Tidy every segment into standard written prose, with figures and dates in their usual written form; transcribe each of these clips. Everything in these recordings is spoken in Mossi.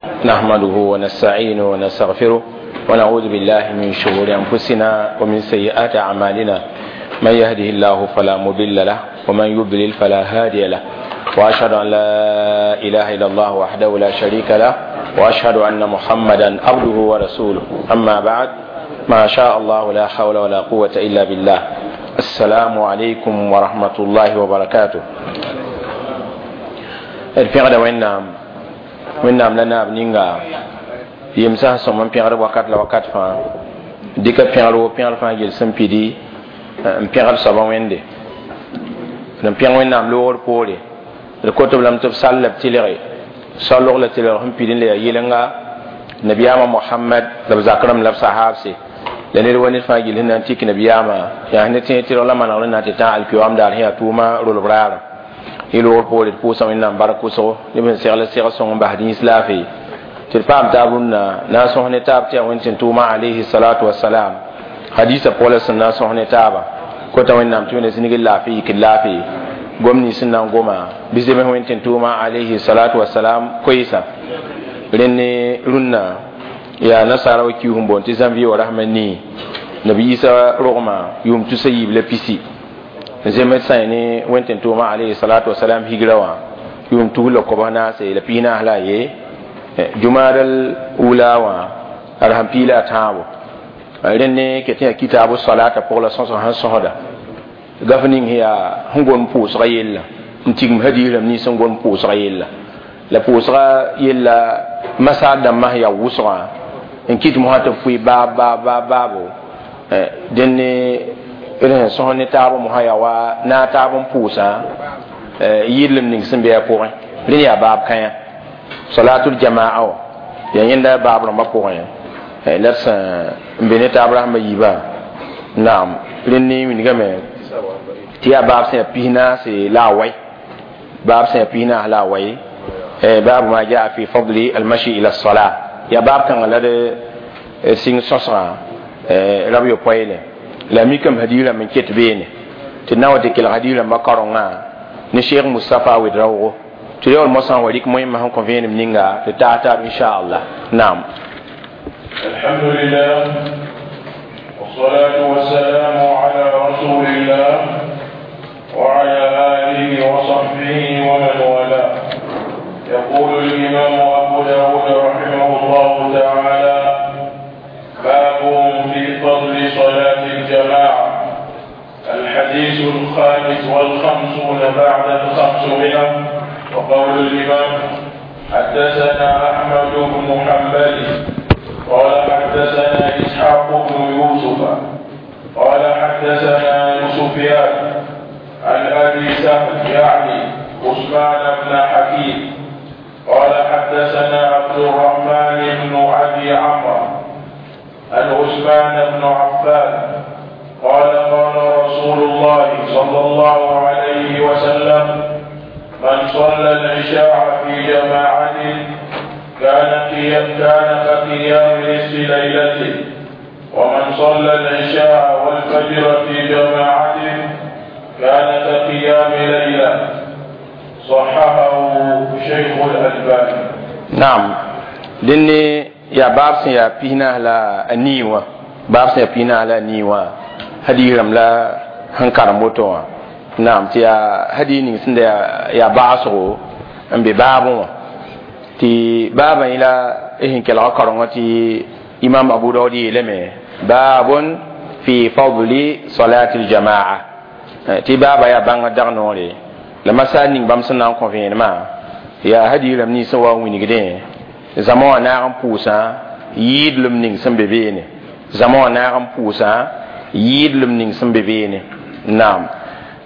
نحمده ونستعينه ونستغفره ونعوذ بالله من شرور أنفسنا ومن سيئات أعمالنا. من يهده الله فلا مضل له ومن يضلل فلا هادي له، وأشهد أن لا إله إلا الله وحده لا شريك له، وأشهد أن محمدا عبده ورسوله. أما بعد، ما شاء الله لا حول ولا قوة إلا بالله. السلام عليكم ورحمة الله وبركاته. الفعل وإنام لنا بنينغا يمسح سمم بيغر وقت لوقت فا ديك بيغر وبيغر فا جلسن بيدي بيغر سبا ويندي نم بيغر وإنام لور بوري الكتب لم تفصل لبتلغي صلوا لتلغي هم بيدين لي يلنغا نبيام محمد لبزاكرم لبصحابسي لنير ونير فا جل هنا تيك نبيام يعني تي تي ولا ما نقول نتي تاع الكيوام دار هي توما رول برار يلور بوري بوسا وإنام باركوسو نبين سيغل سيغل سون بهدين سلافي تلفام تابون ناس هنا تاب تي وين توما عليه الصلاة والسلام حديث بولس ناس هنا تابا كوتا وإنام تونس سنجل لافي كلافي gwamni sẽn goma bɩ zems wẽn tɩ tʋʋma alayhi salatu wasalam koeesa rẽnd rũnnã yaa nasaara wa kius n boond tɩ zãnvie wa rasmã nii nabi isa rogmã yʋʋm tusa yiib la pisi zems sã ne wẽn tɩ tʋʋma alayhi salatu wasalam higra wã yʋʋm tus la kobs naase la pis naas la a ye jumaadal wula wã ad sẽn piila a tãabo rẽnd ne ket yaa kitaabu salata pʋg la sõsg sẽn sõsda gaf ning yaa sẽn gom pʋʋsga yella n tigm hadiis rãmb nins sẽn gom pʋʋsga yella la pʋʋsga yella masaar dãmbã sẽn yaa wʋsgã n kɩt mosã tɩ b pʋɩ baab baab baab baabo dẽnd d sẽn sõs ne taab mosã yaa wa naag taab n pʋʋsã yɩɩdlem ning sẽn be a pʋgẽ rẽnd yaa baab kãyã salatul jamaa wã yaa yẽnda baab rãmbã pʋgẽ la d sẽn n be ne taab rasmã yiibã naam rẽnd ne wilgame tɩ yaa baab sẽn yaa pis naase la a wai baab sẽn yaa pis naas la a wai baabu ma jaa fi fadli almashi ila sala yaa baab kãngã la d sɩng sõsgã rab yopoeele la mikame hadiis rãmb n ket beene tɩ na wa tɩ kelg hadiis rãmbã kaorengã ne cheikh mustapha wed-raoogo tɩ yaool mosã wa rɩk moẽmã sẽn kõ vẽenem ninga tɩ taas taab inchallah. Naam. الحمد لله والصلاة والسلام على رسول الله وعلى آله وصحبه ومن والاه. يقول الإمام أبو داود رحمه الله تعالى: باب في فضل صلاة الجماعة. الحديث 555 بعد 500. وقول الإمام: حدثنا أحمد بن حنبل قال حدثنا إسحاق بن يوسف قال حدثنا سفيان عن أبي سهل يعني عثمان بن حكيم قال حدثنا عبد الرحمن بن أبي عمرو عن عثمان بن عفان قال قال رسول الله صلى الله عليه وسلم: من صلى العشاء في جماعة كان كقيام نصف ليلته، ومن صلى العشاء والفجر في جماعة كان كقيام ليلة. صححه شيخ الألباني. نعم. لأني يا باب يا بينا لا نيوا باب يا بينا لا نيوا هدي رم لا هنكار موتوا. نعم. تيا هدي نيسند يا باسو أم ببابو تي بابا إلى إهن كلا كرمة تي إمام أبو داود يلمه باب في فضل صلاة الجماعة. تي بابا يا بان دغنوري لما سانين بام سنان كونفين ما يا هدي لم ني سوا وينيغدين زمان نارم بوسا يد لم نين سن بيبيني زمان نارم بوسا يد لم نين سن بيبيني. نعم.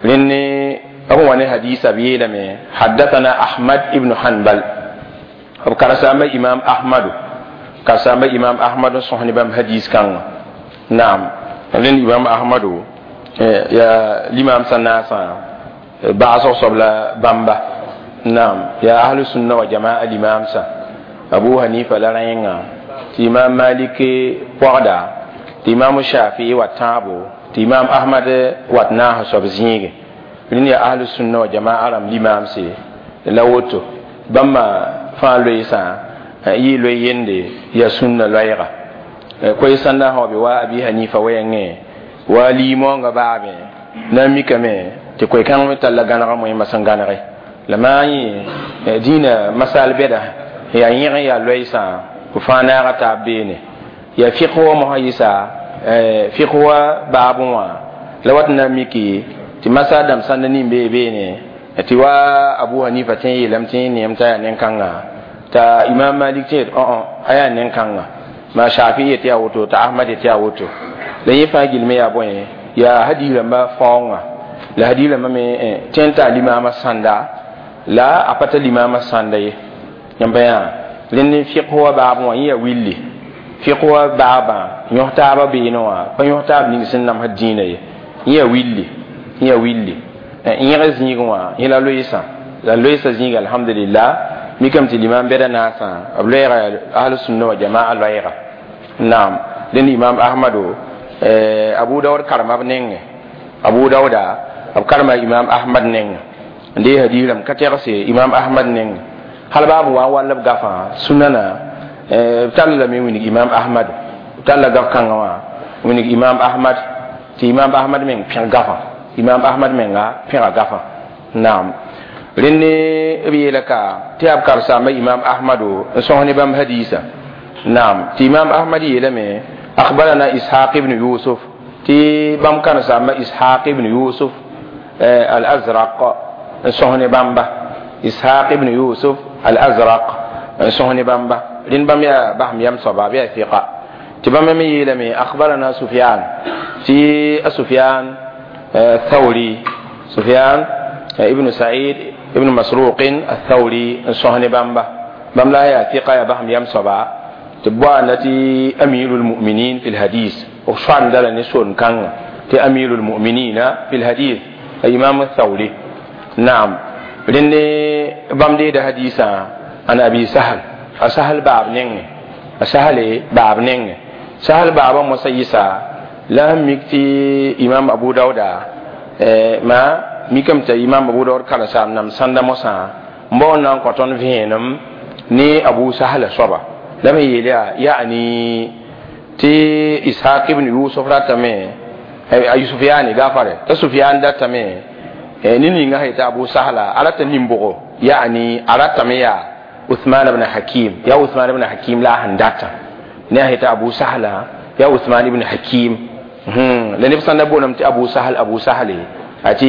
لأني هو حديث أبي لمي حدثنا أحمد ابن حنبل كرسام إمام أحمد كرسام إمام أحمد صحن بام حديث كان. نعم. لأن إمام أحمد يا الإمام سناسا بعض صبلا بامبا. نعم. يا أهل السنة وجماعة الإمام سا أبو حنيفة لا رأينا إمام مالك وغدا إمام الشافعي وتابو إمام أحمد وتناه صبزينج لأن يا أهل السنة وجماعة رم الإمام سي لوتو بما فان لويسا Yɩ loe yende yaa sũnna loɛɛga koe sãnda sã wa be wa Abi Hanifa wɛɛngẽ wa liimoongã baabẽ na n mikame tɩ koe-kãng me talla gãnega moẽmã sẽn gãnege la maa yẽ dĩinã masal bɛda yaa yẽg n yaa loɛɛsã b fãa naaga taab beene yaa fɩk wa mosã yɩsa fɩk wa baabẽ wã la wat n na n miki tɩ masa dãmb sãnda nin bee beene tɩ wa Abu Hanifa tẽ n yeelame tɩ neem t'a yaa nen-kãnga t'a Imam Malik tẽ yet a yaa nen-kãnga ma Shafi yet yaa woto t'a Ahmad yet yaa woto la yẽ fãa gilme yaa bõe yaa hadis rãmba faoongã la hadis rãmbã me tẽ n taa limaamã sãnda la a pa ta limaamã sãnda ye yãmba yaa rẽnd n fɩk wa baabẽ wã yẽ yaa willi fɩk wa baabã yõs taabã beene wã pa yõs taab ning sẽn namsd dĩinã ye yẽ yaa willi yẽ yaa willi yẽg zĩigẽ wã yẽ la loeesã la loeesã zĩiga alhamdulillah mikame tɩ limam bɛda naasã b loɛɛga ahlusunna wa jamaa loɛɛga naam rẽnd Imam Ahmado Abu Daud karema b nengẽ Abu Dauda b karema Imam Ahmad nengẽ n dee hadis rãmb ka tɛgse Imam Ahmad nengẽ hal baa b wa n wall b gafã sũnana b tall lame wilg Imam Ahmad b talla gaf kãngã wã wilg Imam Ahmad tɩ Imam Ahmad meng pẽg gafã Imam Ahmad menga pẽga gafã naam rẽnd b yeela ka tɩ yaa b karsaamba Imam Ahmado n sõs ne bãmb hadiisã naam tɩ Imam Ahmad yeelame akhbarana Ishaq ibn Yusuf tɩ bãmb kãrsaamba Ishaq ibn Yusuf al-Azraq n sõs ne bãmba Ishaq ibn Yusuf al-Azraq n sõs ne bãmba rẽnd bãmb yaa basem yam soaba b yaa fɩka tɩ bãmb me yeelame akhbarana Sufyan tɩ a Sufyan الثوري سفيان ابن سعيد ابن مسروق الثوري سهن بامبا بام لا يا ثقة يا بهم يم صبا تبوا التي أمير المؤمنين في الحديث وشان دل نسون كان تي أمير المؤمنين في الحديث الإمام الثوري نعم لأن بام دي ده حديثا عن أبي سهل سهل باب نين سهل باب نين سهل باب مسيسا la mik tɩ Imam Abu Dauda ma mikame t'a Imam Abu Daud karen-saam nam sãnda mosã n bao n na n kõ tõnd vẽenem ne Abu Sahla soaba la me yeel yaa yaani tɩ Ishaq ibn Yusuf ratame a Sufyani gafare t'a Sufyan datame ne ninga sã yetɩ Abu Sahla a rata nin-bʋgo yaani a ratame yaa Uthman ibn Hakim yaa Uthman ibn Hakim la a sẽn data ne a yetɩ Abu Sahla yaa Uthman ibn Hakim la neb sãn da boolame tɩ Abu Sahal Abu Sahale a tɩ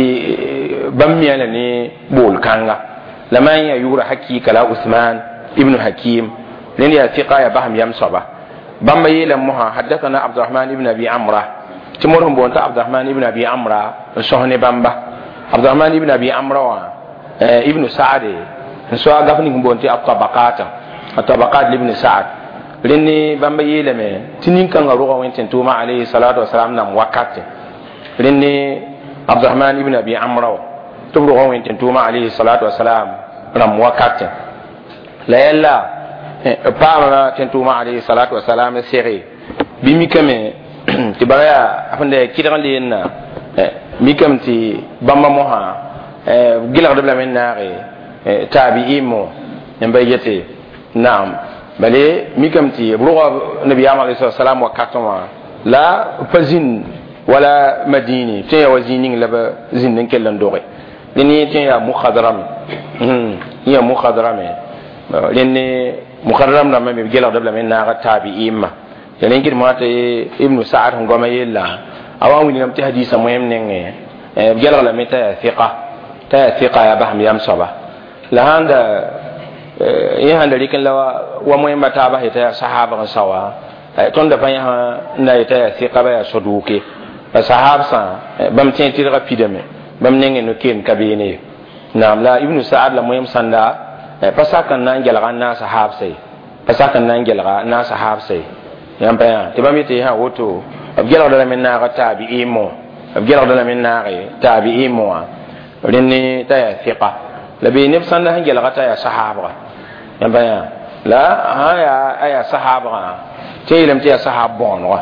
bãmb mia la ne bool kãnga la maan yaa yʋʋra hakɩɩka la Uthman ibn Hakim rẽnd yaa fɩka yaa basem yam soaba bãmba yeelame mosã haddathana Abdurahman ibn Abi Amra tɩ mod sẽn boond t'a Abdurahman ibn Abi Amra n sõs ne bãmba Abdurahman ibn Abi Amra wã ibn Saade n soa gaf ning n boond tɩ atabaqata atabaqat libn Saad rẽnd bãmba yeelame tɩ nin-kãngã rʋga wẽn-tẽn-tʋʋmã alayhi salatu wasalam nam wakate rẽnd Abdurahman ibn Abi Amra wã tɩ b rʋga wẽn-tẽn-tʋʋmã alayhi salatu wasalam rãmb wakate la yɛlla b paama tẽn-tʋʋmã alayhi salatu wasalam n sege bɩ mikame tɩ bara yaa sẽn da yaa kɩdg n leenna mikame tɩ bãmba mosã b gɩlgdb lame n naage taabi'im n ba yete naam bale mikame tɩ b rʋga nabiyaam alayhi salatu wasalam wakatẽ wã la pa zĩnd wala Madini tẽ yaa wa zĩig ning la b zĩnd n kell n doge rẽnd yẽ tẽ yaa muhadrame yẽ yaa muhadrame rẽnd muhadram rãmbã me b gelgdb lame n naag taabi'imã ya rẽn kɩd mosã tɩ Ibnu Saad sẽn goama yella a wa n wilgame tɩ hadiisã moẽm nengẽ b gelg lame t'a yaa fɩka t'a yaa fɩka yaa basem yam soaba la sãn da yẽ sãn da rɩk n la wa moẽmba taabã yetã yaa sahaabg n saoa tõnd da pa yãsã n na yetã yaa fɩka ba yaa soduuke la sahaabsã bãmb tẽ tɩrgã pidame bãmb nengẽ no-keem ka beene ye naam la Ibnu Saad la moẽm sãnda pa sak n na n gelga n naas sahaabsa ye pa sak n na n gelga n naas sahaabsa ye yãmb pa yã tɩ bãmb yetɩ sã woto b gelgda lame n naaga taabi'im wã b gelgda lame n naage taabi'im wã rẽnd t'a yaa fɩka la bee neb sãnda sẽn gelga t'a yaa sahaabga yãmb pa yã la sã yaa a yaa sahaabgã tɩ yeelame tɩ yaa sahaab bõonega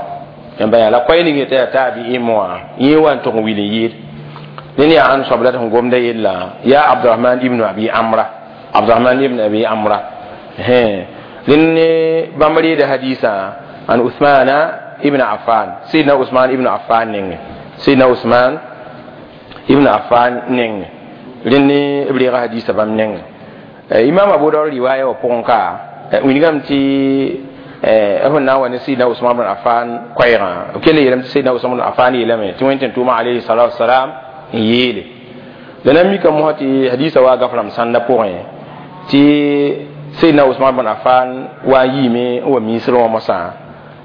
yãmb pa yã la koɛɛ ning yetã yaa taabi'im wã yẽ wa n tʋg n wil n yɩɩd rẽnd yaa ãn soab la tɩ sẽn gomda yella yaa Abdurahman ibn Abi Amra Abdurahman ibn Abi Amra Rẽnd bãmb reeda hadiisã an Usmana ibn Affan, Sidna Usman ibn Affan nengẽ, Sidna Usman ibn Affan nengẽ. Rẽnd b reega hadiisã bãmb nengẽ. Imam Abu Dawud riwaaya wã pʋgẽ ka wilgame tɩ b sẽn na n wa ne Sidna Usman ibn Affan koɛɛgã, b kell n yeelame tɩ Sidna Usman ibn Affan yeelame tɩ Wẽnd tʋʋma alayhi salatu wasalam n yeele. La na n mika mosã tɩ hadiisã wa gaf rãmb sãnda pʋgẽ tɩ Sidna Usman ibn Affan wa n yiime n wa miisr wã mosã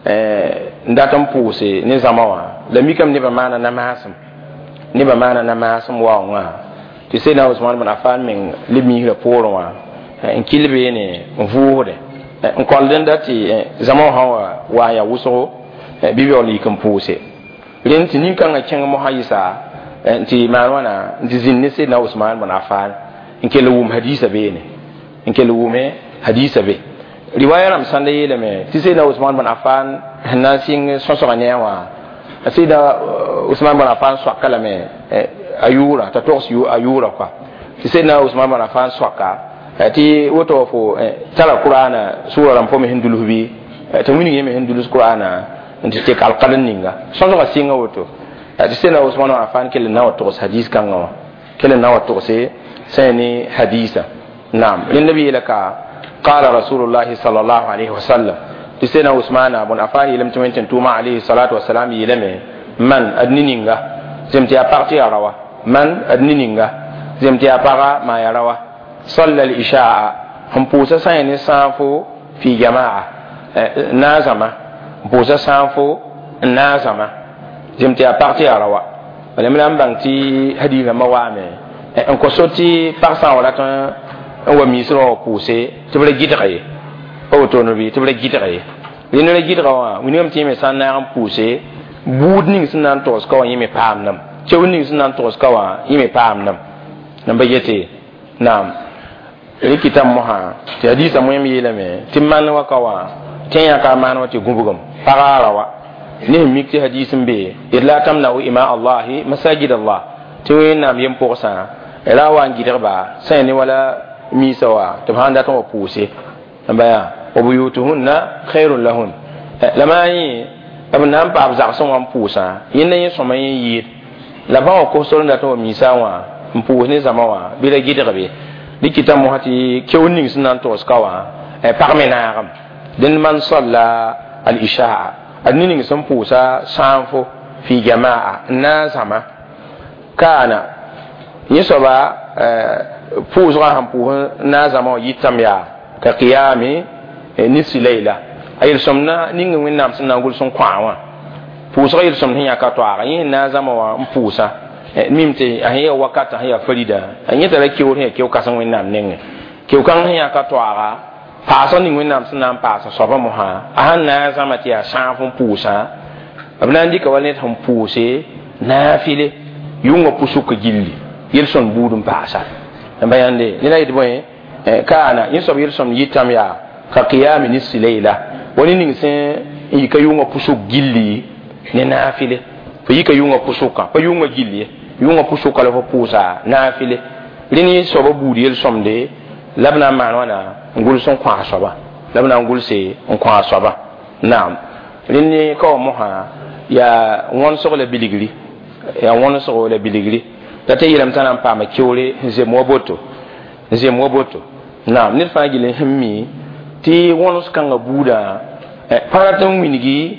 n dat n pʋʋse ne zãma wã. La mikame nebã maana namaasem, nebã maana namaasem waoongã tɩ Sidna Usman ibn Affan meng leb miisrã poorẽ wã n kɩl beene n vʋʋsde n kõld n dat tɩ zãma wã sã wa n yaa wʋsgo bɩ b yaool n yik n pʋʋse. Rẽnd tɩ nin-kãngã kẽng mosã yɩsa n tɩ maan wãna n tɩ zĩnd ne Sidna Usman ibn Affan n kell n wʋm hadiisã beene, n kell wʋme hadiisã be. Riwaya rãmb sãnda yeelame tɩ Sidna Usman ibn Affan sẽn na n sɩng sõsgã ne a wã, Sidna Usman ibn Affan soaka lame a yʋʋra t'a togs a yʋʋra kɔa, tɩ Sidna Usman ibn Affan soaka tɩ woto fo tara Qur'ana sʋra rãmb fo me sẽn dulus bɩ tɩ wilg yẽ me sẽn dulus Qur'ana n tɩ tek alqadr ninga sõsgã sɩnga woto tɩ Sidna Usman ibn Affan kell n na wa togs hadis kãngã wã, kell n na wa togse sã ne hadisa. Naam, rẽnd b yeela ka qala rasulullahi sallallahu alayhi wa sallam tɩ Sidna Usman ibn Affan yeelame tɩ Wẽnd tʋʋma alayhi salatu wasalam yeelame man ad ne ninga zem tɩ yaa pag tɩ yaa rawa, man ad ne ninga zem tɩ yaa paga maa yaa rawa, salla al-isha'a n pʋʋsa sã ne sãafo fi jama'a naazama, n pʋʋsa sãafo n naazama zem tɩ yaa pag tɩ yaa rawa. Bala me la n bãng tɩ hadiis rãmbã waame n kõ so tɩ pag sã n wa rat n wa miisrã wã pʋʋse tɩ b ra gɩdga ye, pa wotone bɩ tɩ b ra gɩdga ye. Rẽnd ra gɩdga wã wilgame tɩ yẽ me sã n naag n pʋʋse buud ning sẽn na n togs ka wã yẽ me paamdame, keoor ning sẽn na n togs ka wã yẽ me paamdame. N ba yete naam rɩkɩtame mosã tɩ hadiisã moẽm yeelame tɩ man wa ka wã tẽ yãka a maan wã tɩ gũbgem paga ra wa ne sẽn mik tɩ hadiis n be d la tamnau ima allahi masajid allah tɩ Wẽnnaam yem pʋgsã ra wa n gɩdgba sã ne wala miisã wã tɩ b sãn dat n wa pʋʋse n ba yaa wa buyutuhunna khairun lahun. La maa yẽ b na n paam zagsẽ wã n pʋʋsã yẽnda yẽ sõma yẽ yɩɩd la bã wã kos-sor n dat n wa miisã wã n pʋʋs ne zãma wã bɩ ra gɩdg be. Rɩkɩta mosã tɩ keoor ning sẽn na n togs ka wã pag me naagem dẽnd man salla al-isha'a ad ne ning sẽn pʋʋsa sãanfo fi jama'a n na n zãma kaana yẽ soaba pʋʋsgã sẽn pʋʋs n na n zãma wã yɩtame yaa ka qiyami nisfi layla a yel-sõmdã ning Wẽnnaam sẽn na n gʋls n kõ-a wã pʋʋsgã yel-sõmd sẽn yãka toaaga yẽ sẽn na n zãma wã n pʋʋsa mim tɩ a sẽn yaa wakata sẽn yaa farida a yẽ tara keoor sẽn yaa keo-kãseng Wẽnnaam nengẽ keo-kãng sẽn yãka toaaga paasg ning Wẽnnaam sẽn na n paasa soabã mosã a sẽn na n zãma tɩ yaa sãaf n pʋʋsã b na n dɩka wa ned sẽn pʋʋse naafɩle yʋngã pʋsʋk gilli yel-sõmd buud n paasa. N ba yãnde ned a yetɩ bõe kaana yẽ soab yel-sõmd yɩtame yaa ka qiyami nisfi layla wa ne ning sẽn n yika yʋngã pʋsʋk gilli ne naafɩle fo yika yʋngã pʋsʋkã pa yʋngã gilli ye yʋngã pʋsʋka la fo pʋʋsa naafɩle rẽnd yẽ soabã buud yel-sõmde la b na n maan wãna n gʋls n kõ a soaba la b na n gʋlse n kõ a soaba. Naam, rẽnd ka wa mosã yaa wõnsg la bilgri, yaa wõnsg la bilgri la tɩ yeelame t'a na n paama keoore n zem wa boto, n zem wa boto. Naam, ned fãa gill sẽn mi tɩ wõns kãngã buudã pa rat n wilgi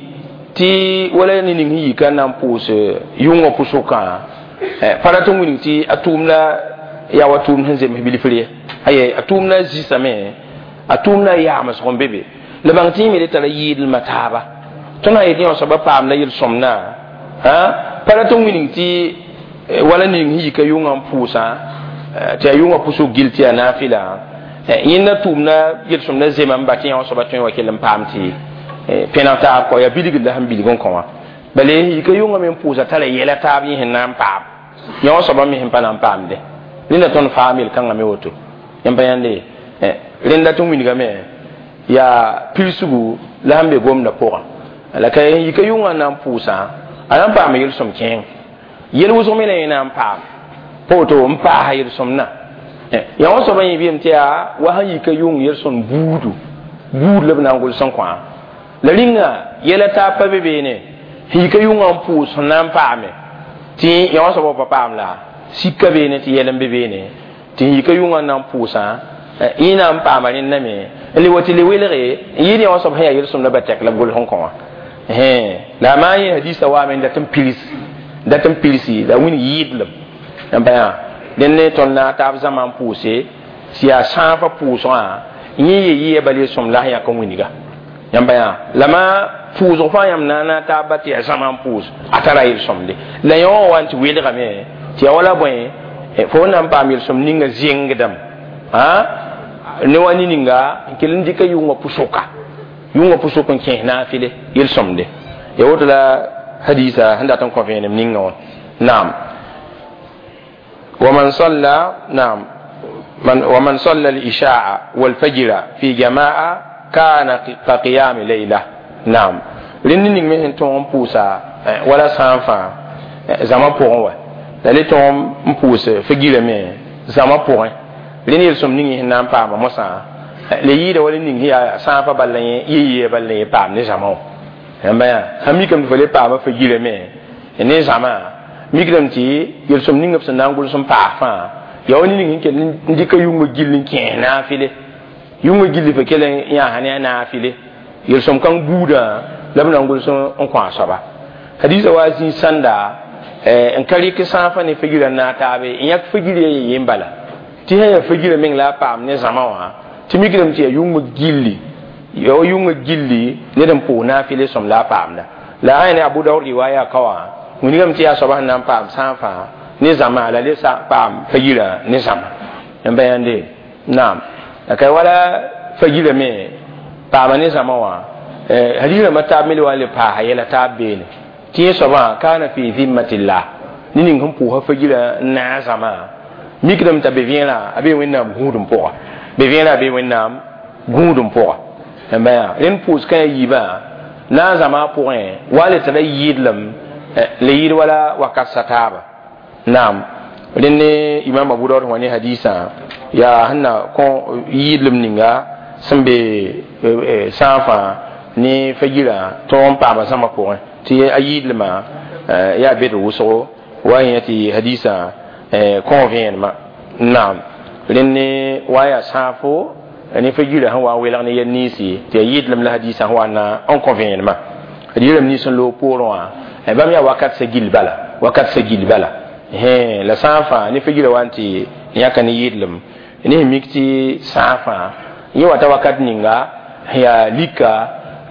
tɩ wala ne ning sẽn yika n na n pʋʋs yʋngã pʋsʋkã pa rat n wilg tɩ a tʋʋmda yaa wa tʋʋmd sẽn zems bilfr ye, aye a tʋʋmda zisame a tʋʋmda yaamsg n be be la bãng tɩ yẽ me re tara yɩɩdlmã taaba tõnd sã yetɩ yã soabã paamda yel-sõmdã pa rat n wilg tɩ wala ning sẽn yika yʋngã n pʋʋsã tɩ a yʋngã pʋsg gill tɩ yaa naafɩla yẽnda tʋʋmda yel-sõmda zema n ba tɩ yã soabã tõe n wa kell n paam tɩ pẽneg taab kɔ yaa bilgd la sẽn bilg n kõ wã bala yika yʋngã me n pʋʋsa tara yɛla taab yẽ sẽn na n paam yã soabã me sẽn pa na n paamde rẽnda tõnd faam yel-kãngã me woto yẽm pa yãnde rẽnda tɩ wilgame yaa pilsgu la sẽn be gomdã pʋgã la ka yika yʋngã n na n pʋʋsã a na n paama yel-sõm kẽeng yel wʋsg me la yẽ na n paam pa woto n paasa yel-sõmdã yã wã soabã yẽ bɩame tɩ yaa wa sẽn yika yʋng yel-sõmd buudu buud la b na n gʋls n kõ la rĩnga yɛla taab pa be beene sẽn yika yʋngã n pʋʋs sẽn na n paame tɩ yã wã soabã pa paam la sika beene tɩ yɛl n be beene tɩ sẽn yika yʋngã n na n pʋʋsã yẽ na n paama rẽnda me n le wa tɩ le welge n yɩɩd yã wã soab sẽn yaa yel-sõmda ba tɛk la b gʋls n kõ wã la a maan yẽ hadiisã waame n dat n pilsi la wĩn yɩɩdlem n pa yã dẽnd ne tõnd na taab zãma n pʋʋse tɩ yaa sãafã pʋʋsgã yẽ ye yɩa bal yel-sõm la sẽn yãk n wĩnga yãmba yã la ma pʋʋsg fãa yãmb na n taab tɩ yaa zãma n pʋʋs a tara yel-sõmde la yã wã wa n tɩ welgame tɩ yaa wala bõe fo na n paam yel-sõm ninga zẽngdame ne wa ne ninga n kell n dɩka yʋngã pʋsʋk n kẽes naafɩle yel-sõmde ya woto la hadisa sẽn dat n kõ vẽenem ninga wã naam ومن صلى نعم من ومن صلى العشاء والفجر في جماعة كان كقيام ليلة نعم rẽnd ning me sẽn tõog n pʋʋsa wala sã n fãa zãma pʋgẽ wa la le tõog n pʋʋs fagirã me zãma pʋgẽ rẽnd yel-sõm ning sẽn na n paama mosã le yɩɩda wala ning sẽn yaa sãafã bal la yẽ yɩ bal la yẽ paam ne zãma wã yãmba yaa sã mikame tɩ fo le paama fagirã me ne zãma mikdame tɩ yel-sõm ning b sẽn na n gʋls n paas fãa yaa wa ning sẽn kell n dɩka yʋngã gill n kẽes naafɩle yʋngã gilli fa kell n yãasa ne a naafɩle yel-sõm kãng buudã la b na n gʋls n kõ a soaba hadiisa wa zĩig sãnda n ka rɩk sãafã ne fagirã n naag taabe n yãk fagirã ye yen bala tɩ sã yaa fagirã meng la a paam ne zãma wã tɩ mikdame tɩ yaa yʋngã gilli yaa wa yʋngã gilli ned n pʋʋs naafɩle sõm la a paamda la a ne Abu Dawud riwaya ka wã wĩnigame tɩ yaa soaba sẽn na n paam sãafã ne zãma la le paam fagirã ne zãma n ba yãnde naam la ka wala fagirã me paama ne zãma wã hadis rãmbã taab me le wa n le paasa yɛla taab beene tɩ yẽ soabã kaana fi zimmatillah ne ning sẽn pʋʋsa fagirã n naag zãma mikdame t'a be vẽerã a bee wẽnnaam gũudum pʋga be vẽerã a bee wẽnnaam gũudum pʋga n ba yã rẽnd pʋʋs kã ya yiibã naag zãma pʋgẽ wa le tara yɩɩdlem le yɩɩd wala wakat sa taaba naam rẽnd ne imam Abu Dawud wã ne hadisã yaa sẽn na kõ yɩɩdlem ninga sẽn be sãafã ne fagirã tõog n paama zãma pʋgẽ tɩ a yɩɩdlmã yaa bed wʋsgo wa yẽ tɩ hadisã kõ vẽenemã naam rẽnd ne wa yaa sãafo ne fagirã sẽn wa n welg ne yɛl ninsi tɩ yaa yɩɩdlem la hadisã sẽn wa na n kõ vẽenemã d yelame nins n loog poorẽ wã bãmb yaa wakat sa gill bala wakat sa gill bala la sã n fãa ne fagirã wa n tɩ yãka ne yɩɩdlem ne sẽn mik tɩ sã n fãa yẽ wata wakat ninga yaa lika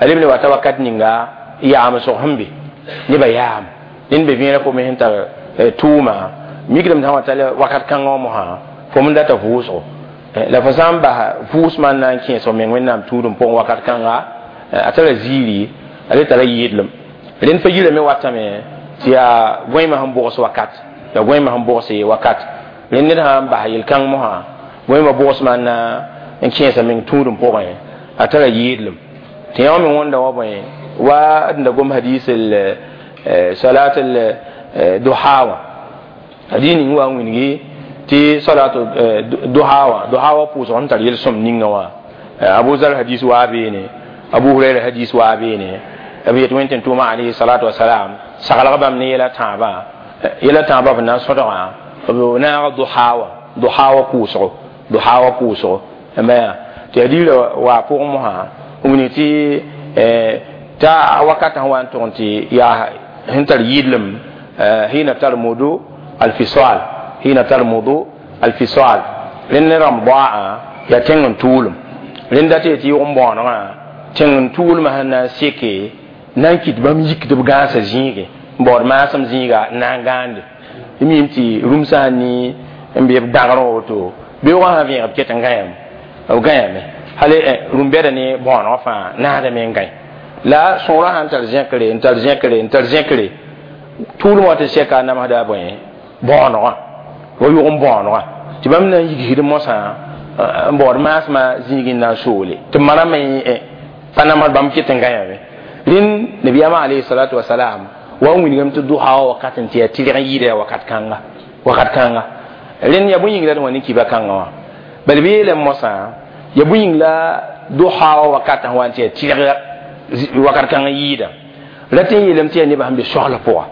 a leb ne wata wakat ninga yaamsg sẽn be nebã yaam ned be vẽerã fo me sẽn tar tʋʋma mikdame sã n wa tall wakat kãngã wã mosã fo m data vʋʋsgo la fo sã n bas vʋʋsmã n na n kẽes f meng wẽnnaam tũudum pʋgẽ wakat kãnga a tara ziiri a le tara yɩɩdlem rẽnd fagirã me watame tɩ yaa gõeemã sẽn bʋgs wakat ya gõeemã sẽn bʋgse wakat rẽnd ned sã n bas yel-kãng mosã gõeemã bʋgsmã n na n kẽesa meng tũudum pʋgẽ a tara yɩɩdlem tɩ yã wã me wõnda wa bõe wa d da gom hadis salat duha wã hadis ning wa n wilgi tɩ salat duha wã duha wã pʋʋsg sẽn tar yel-sõm ninga wã Abu Zar hadis waa beene Abu Huraira hadis waa beene b yet wẽn tɩ tʋʋma alayhi salatu wasalam saglg bãmb ne yɛla tãabã yɛla tãabã b na n sõdgã b naag duha wã duha wã pʋʋsgo duha wã pʋʋsgo n yaa tɩ hadiisã waa pʋgẽ mosã wini tɩ t'a wakatã sẽn wa n tʋg n tɩ yaa sẽn tar yɩɩdlem hina tarmudu alfisal hina tarmudu alfisal rẽnd ne rãmb-bɔaã yaa tẽng n tʋʋlem rẽnd dat tɩ yʋg n bõonegã tẽng n tʋʋlmã sẽn na n seke na n kɩt bãmb yikd b gãasã zĩige n baood maasem zĩiga n na n gãande y miime tɩ rũmsã sẽn ni n be b dãgrẽ woto beoogã sã vẽeg b ket n gãyame b gãyame hal rũm-bɛda ne bõonegã fãa naadame n gãe la sõorã sãn tar zẽkre n tar zẽkre n tar zẽkre tʋʋlem wa tɩ sɛka a namsda bõe bõonegã wa yʋg n bõonegã tɩ bãmb na n yigsd mosã n baood maasmã zĩig n na n soole tɩ marame pa namsd bãmb ket n gãyame rẽnd nabiyaamã alayhi salatu wasalam wa n wilgame tɩ duha wã wakat n tɩ yaa tɩrg n yɩɩda yaa wakat kãnga wakat kãnga rẽnd yaa bõe yĩng la d wã ne kiba kãngã wã bala b yeelame mosã yaa bõe yĩng la duha wa wakat sẽn wa n tɩ yaa tɩrg wakat kãng n yɩɩda ra tɩ n yeelame tɩ yaa nebã sẽn be sogl pʋga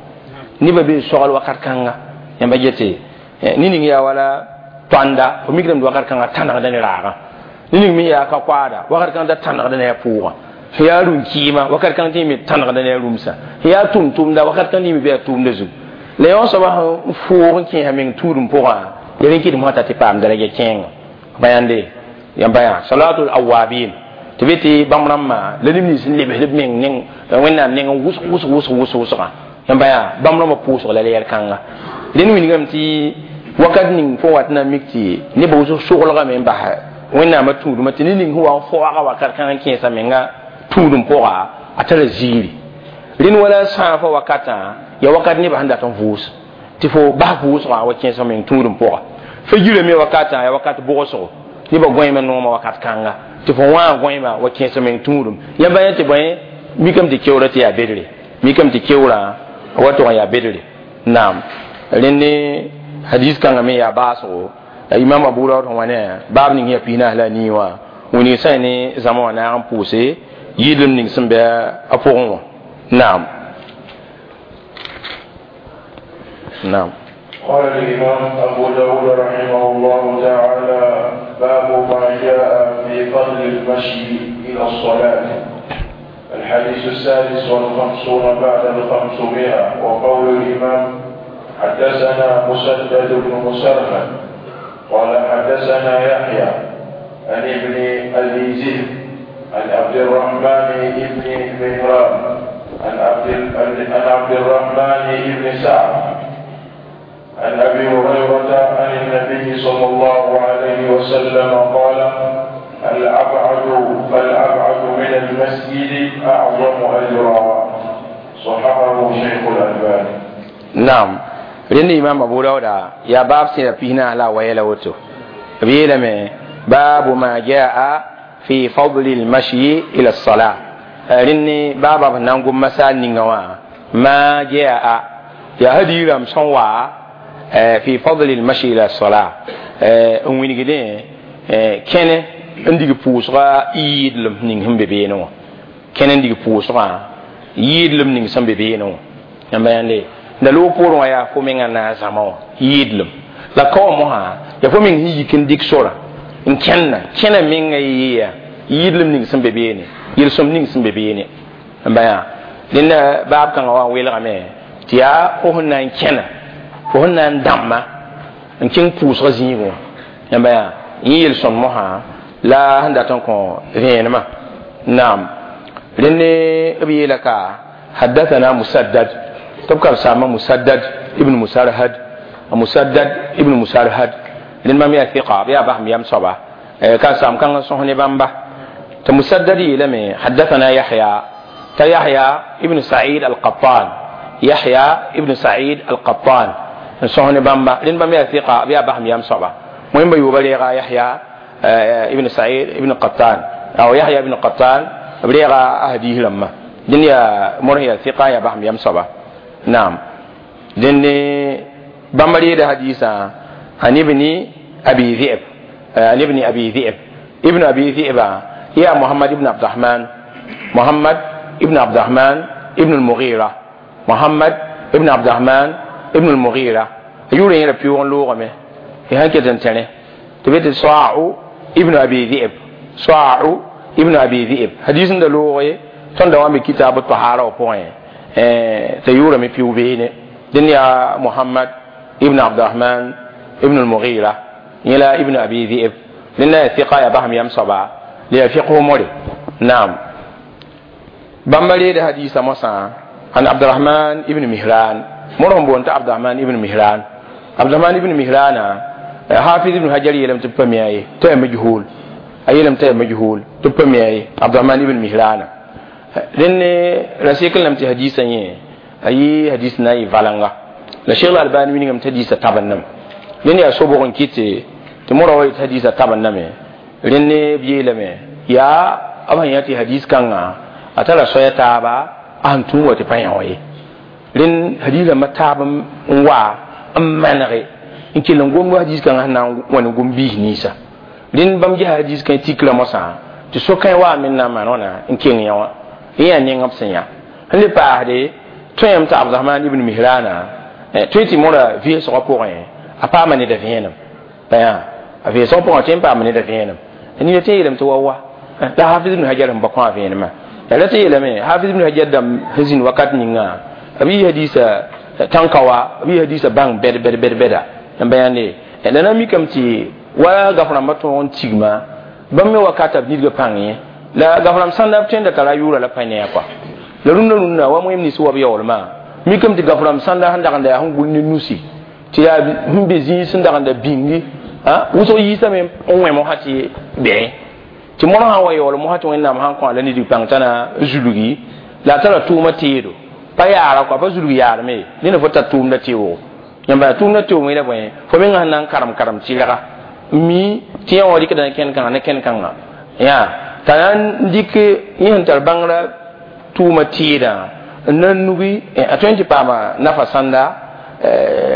nebã bee sogl wakat kãnga yãmba gete ne ning yaa wala tõanda fo mikdame tɩ wakat kãngã tãnegda ne raagã ne ning me yaa ka koaada wakat kãng da tãnegda ne a pʋʋgã yaa rũm-kɩɩmã wakat kãng tɩ me tãnegda ne a rũmsã yaa tʋm-tʋmda wakat kãng tɩ me bɩ a tʋʋmda zug la yõ soaba sẽn fʋʋg n kẽesa meng tũudum pʋgã ya rẽn kɩdem t'a tɩ paam daraja kẽenga ba yãnde yãmba yaa salatul awabin tɩ be tɩ bãmb rãmbã la neb nins n lebsd b meng neng wẽnnaam neng n wʋsg wʋsg wʋsg wʋsg wʋsgã yãmba yaa bãmb rãmbã pʋʋsg la leer kãnga rẽnd wilgame tɩ wakat ning fo wat na n mik tɩ nebã wʋsg soglgame n bas wẽnnaamã tũudmã tɩ ne ning sẽn wa n fooga wakat kãng n kẽesa menga tũudum pʋga a tara ziiri rẽnd wala sãafã wakatã ya wakat nebã sẽn dat n vʋʋs tɩ fo bas vʋʋsgã wa kẽesa meng tũudum pʋga fa yirame me wakatã ya wakat bʋgsgo nebã gõeemã noomã wakat kãnga tɩ fo wã gõeemã wa kẽesa meng tũudum yãmba yã tɩ bõe mikame tɩ keoora tɩ yaa bedre mikame tɩ keoorã wa tʋg n yaa bedre naam rẽnd ne hadis kãngã me yaa baasgo imam abu daud sẽn wa ne baab ning yaa 43 la nii wã wilg sã ne zãma wã naag n pʋʋse yɩɩdlem ning sẽn bɩ a pʋgẽ wã naam نعم. قال الإمام أبو داود رحمه الله تعالى: باب ما جاء في فضل المشي إلى الصلاة. الحديث 556. وقول الإمام: حدثنا مسدد بن مسرهد قال حدثنا يحيى عن ابن أبي ذئب عن عبد الرحمن بن مهران عن عبد الرحمن بن سعد عن أبي هريرة عن النبي صلى الله عليه وسلم قال: الأبعد فالأبعد من المسجد أعظم أجرا. صححه شيخ الألباني. نعم. رن إمام أبو داود يا باب سيرة فينا لا ويلا وتو بيلا باب ما جاء في فضل المشي إلى الصلاة. رن باب نانغو مسال نينغوا ما جاء يا هدي رام سنوا في فضل المشي إلى الصلاة. وين كان عندك بوسرا يدلم نينهم ببينو كان عندك بوسرا يدلم نينهم ببينو يا يعني da lo pʋʋrẽ wã yaa fo menga na n zãma wã yɩɩdlem la kaoã mosã yaa fo meng sẽn yik n dɩk sora n kẽnna kẽna menga yɩɩya yɩɩdlem ning sẽn be beene yel-sõm ning sẽn be beene n ba yaa dẽnda baab kãngã wã n welgame tɩ yaa fo sẽn na n kẽna fo sẽn na n dãmba n kẽng pʋʋsgã zĩigẽ wã yãmba yaa yẽ yel-sõm mosã la sẽn dat n kõ vẽenemã naam rẽnd b yeela ka haddathana musaddad تبقى سامة مسدد ابن مسرهد مسدد ابن مسرهد لأن ما ميا ثقة يا بهم يام صبا كان سام كان صهني بامبا تمسدد لم حدثنا يحيى يحيى ابن سعيد القطان يحيى ابن سعيد القطان صهني بامبا لأن ما ميا ثقة يا بهم يام صبا مهم يبلغ يحيى ابن سعيد ابن قطان أو يحيى ابن قطان بلغ أهديه لما دنيا مرهي ثقة يا بهم يام صبا نعم لأن بمري ده حديثا عن ابن أبي ذئب عن ابن أبي ذئب ابن أبي ذئب يا محمد ابن عبد الرحمن محمد ابن عبد الرحمن ابن المغيرة محمد ابن عبد الرحمن ابن المغيرة يوري هنا بيون لغة هي كده تاني تبيت صاع ابن أبي ذئب صاع ابن أبي ذئب حديث ده لغة تندوام كتاب الطهارة وبوين تيورا مي بيو بيني دنيا محمد ابن عبد الرحمن ابن المغيرة إلى ابن أبي ذئب لأن ثقة يا بهم يم صبا ليفقه موري نعم بمبلي حديث موسى عن عبد الرحمن ابن مهران مرهم بونت عبد الرحمن ابن مهران عبد الرحمن ابن مهران حافظ ابن حجر يلم تبمي تي مجهول أيلم تي مجهول تبمي عبد الرحمن ابن مهران لأن رسيكل لم تحديثا أي حديث ناي فالانغا لا شيخ الألباني من يوم تحديث تابنم لأن يصوبون كيتي تمر حديث تابنم لأن بيلم يا أبا يأتي حديث كانغا أتلا سوية تابا أنتم وتبين لأن حديث ما تابم وا أمانغي إن كل نقوم حديث كانغا نقوم به نيسا لأن بمجي حديث كان تكلا مسا Tɩ so-kãe wa me na n maan wãna n keng yã wã yẽ yaa neng b sẽn yã sẽn le paasde tõe t'a Abdurahman ibn Mihrana tõe tɩ mõra vɩɩsgã pʋgẽ a paama neda vẽenem a vɩɩsgã pʋgẽ tõe n paama neda vẽenem nina tɩ yeelame tɩ wa la Hafiz ibn Hajar n ba kõ a vẽenemã ya la tɩ yeelame Hafiz ibn Hajar dãmb sẽn zĩnd wakat ninga b yɩ hadisa tãnka wa b yɩ hadisa bãng bɛd bɛd bɛd bɛda n ba yãnde la na mikame tɩ wa gaf rãmbã tõog n tigma bãmb me wakata b nidgã pãng ye la gaf rãmb sãnda b tõe n da tara yʋʋra la pa ne a kɔa la rũndã rũndã wa moem nins wa b yaoolmã mikame tɩ gaf rãmb sãnda sẽn dag n da yaa sẽn gʋl ne nusi tɩ yaa sẽn be zĩig sẽn dag n da bĩngi wʋsg yiisame n wẽ mosã tɩ bɩ tɩ mõr sã n wa yaool mosã tɩ Wẽnnaam sãn kõ la nidg pãng t'a na zulgi la a tara tʋʋmã teedo pa yaara kɔa pa zulg yaarame ned fo tar tʋʋmda teoogo yãmba tʋʋmda teoog wẽna bõe fo menga sẽn na n karem karem tɩrga mi tɩ yã wã rɩkda ne kẽn-kãngã ne kẽn-kãngã yaa t'a na n dɩk yẽ sẽn tar bãngrã tʋʋmã tɩɩdã n na n nugi a tõe n tɩ paama nafa sãnda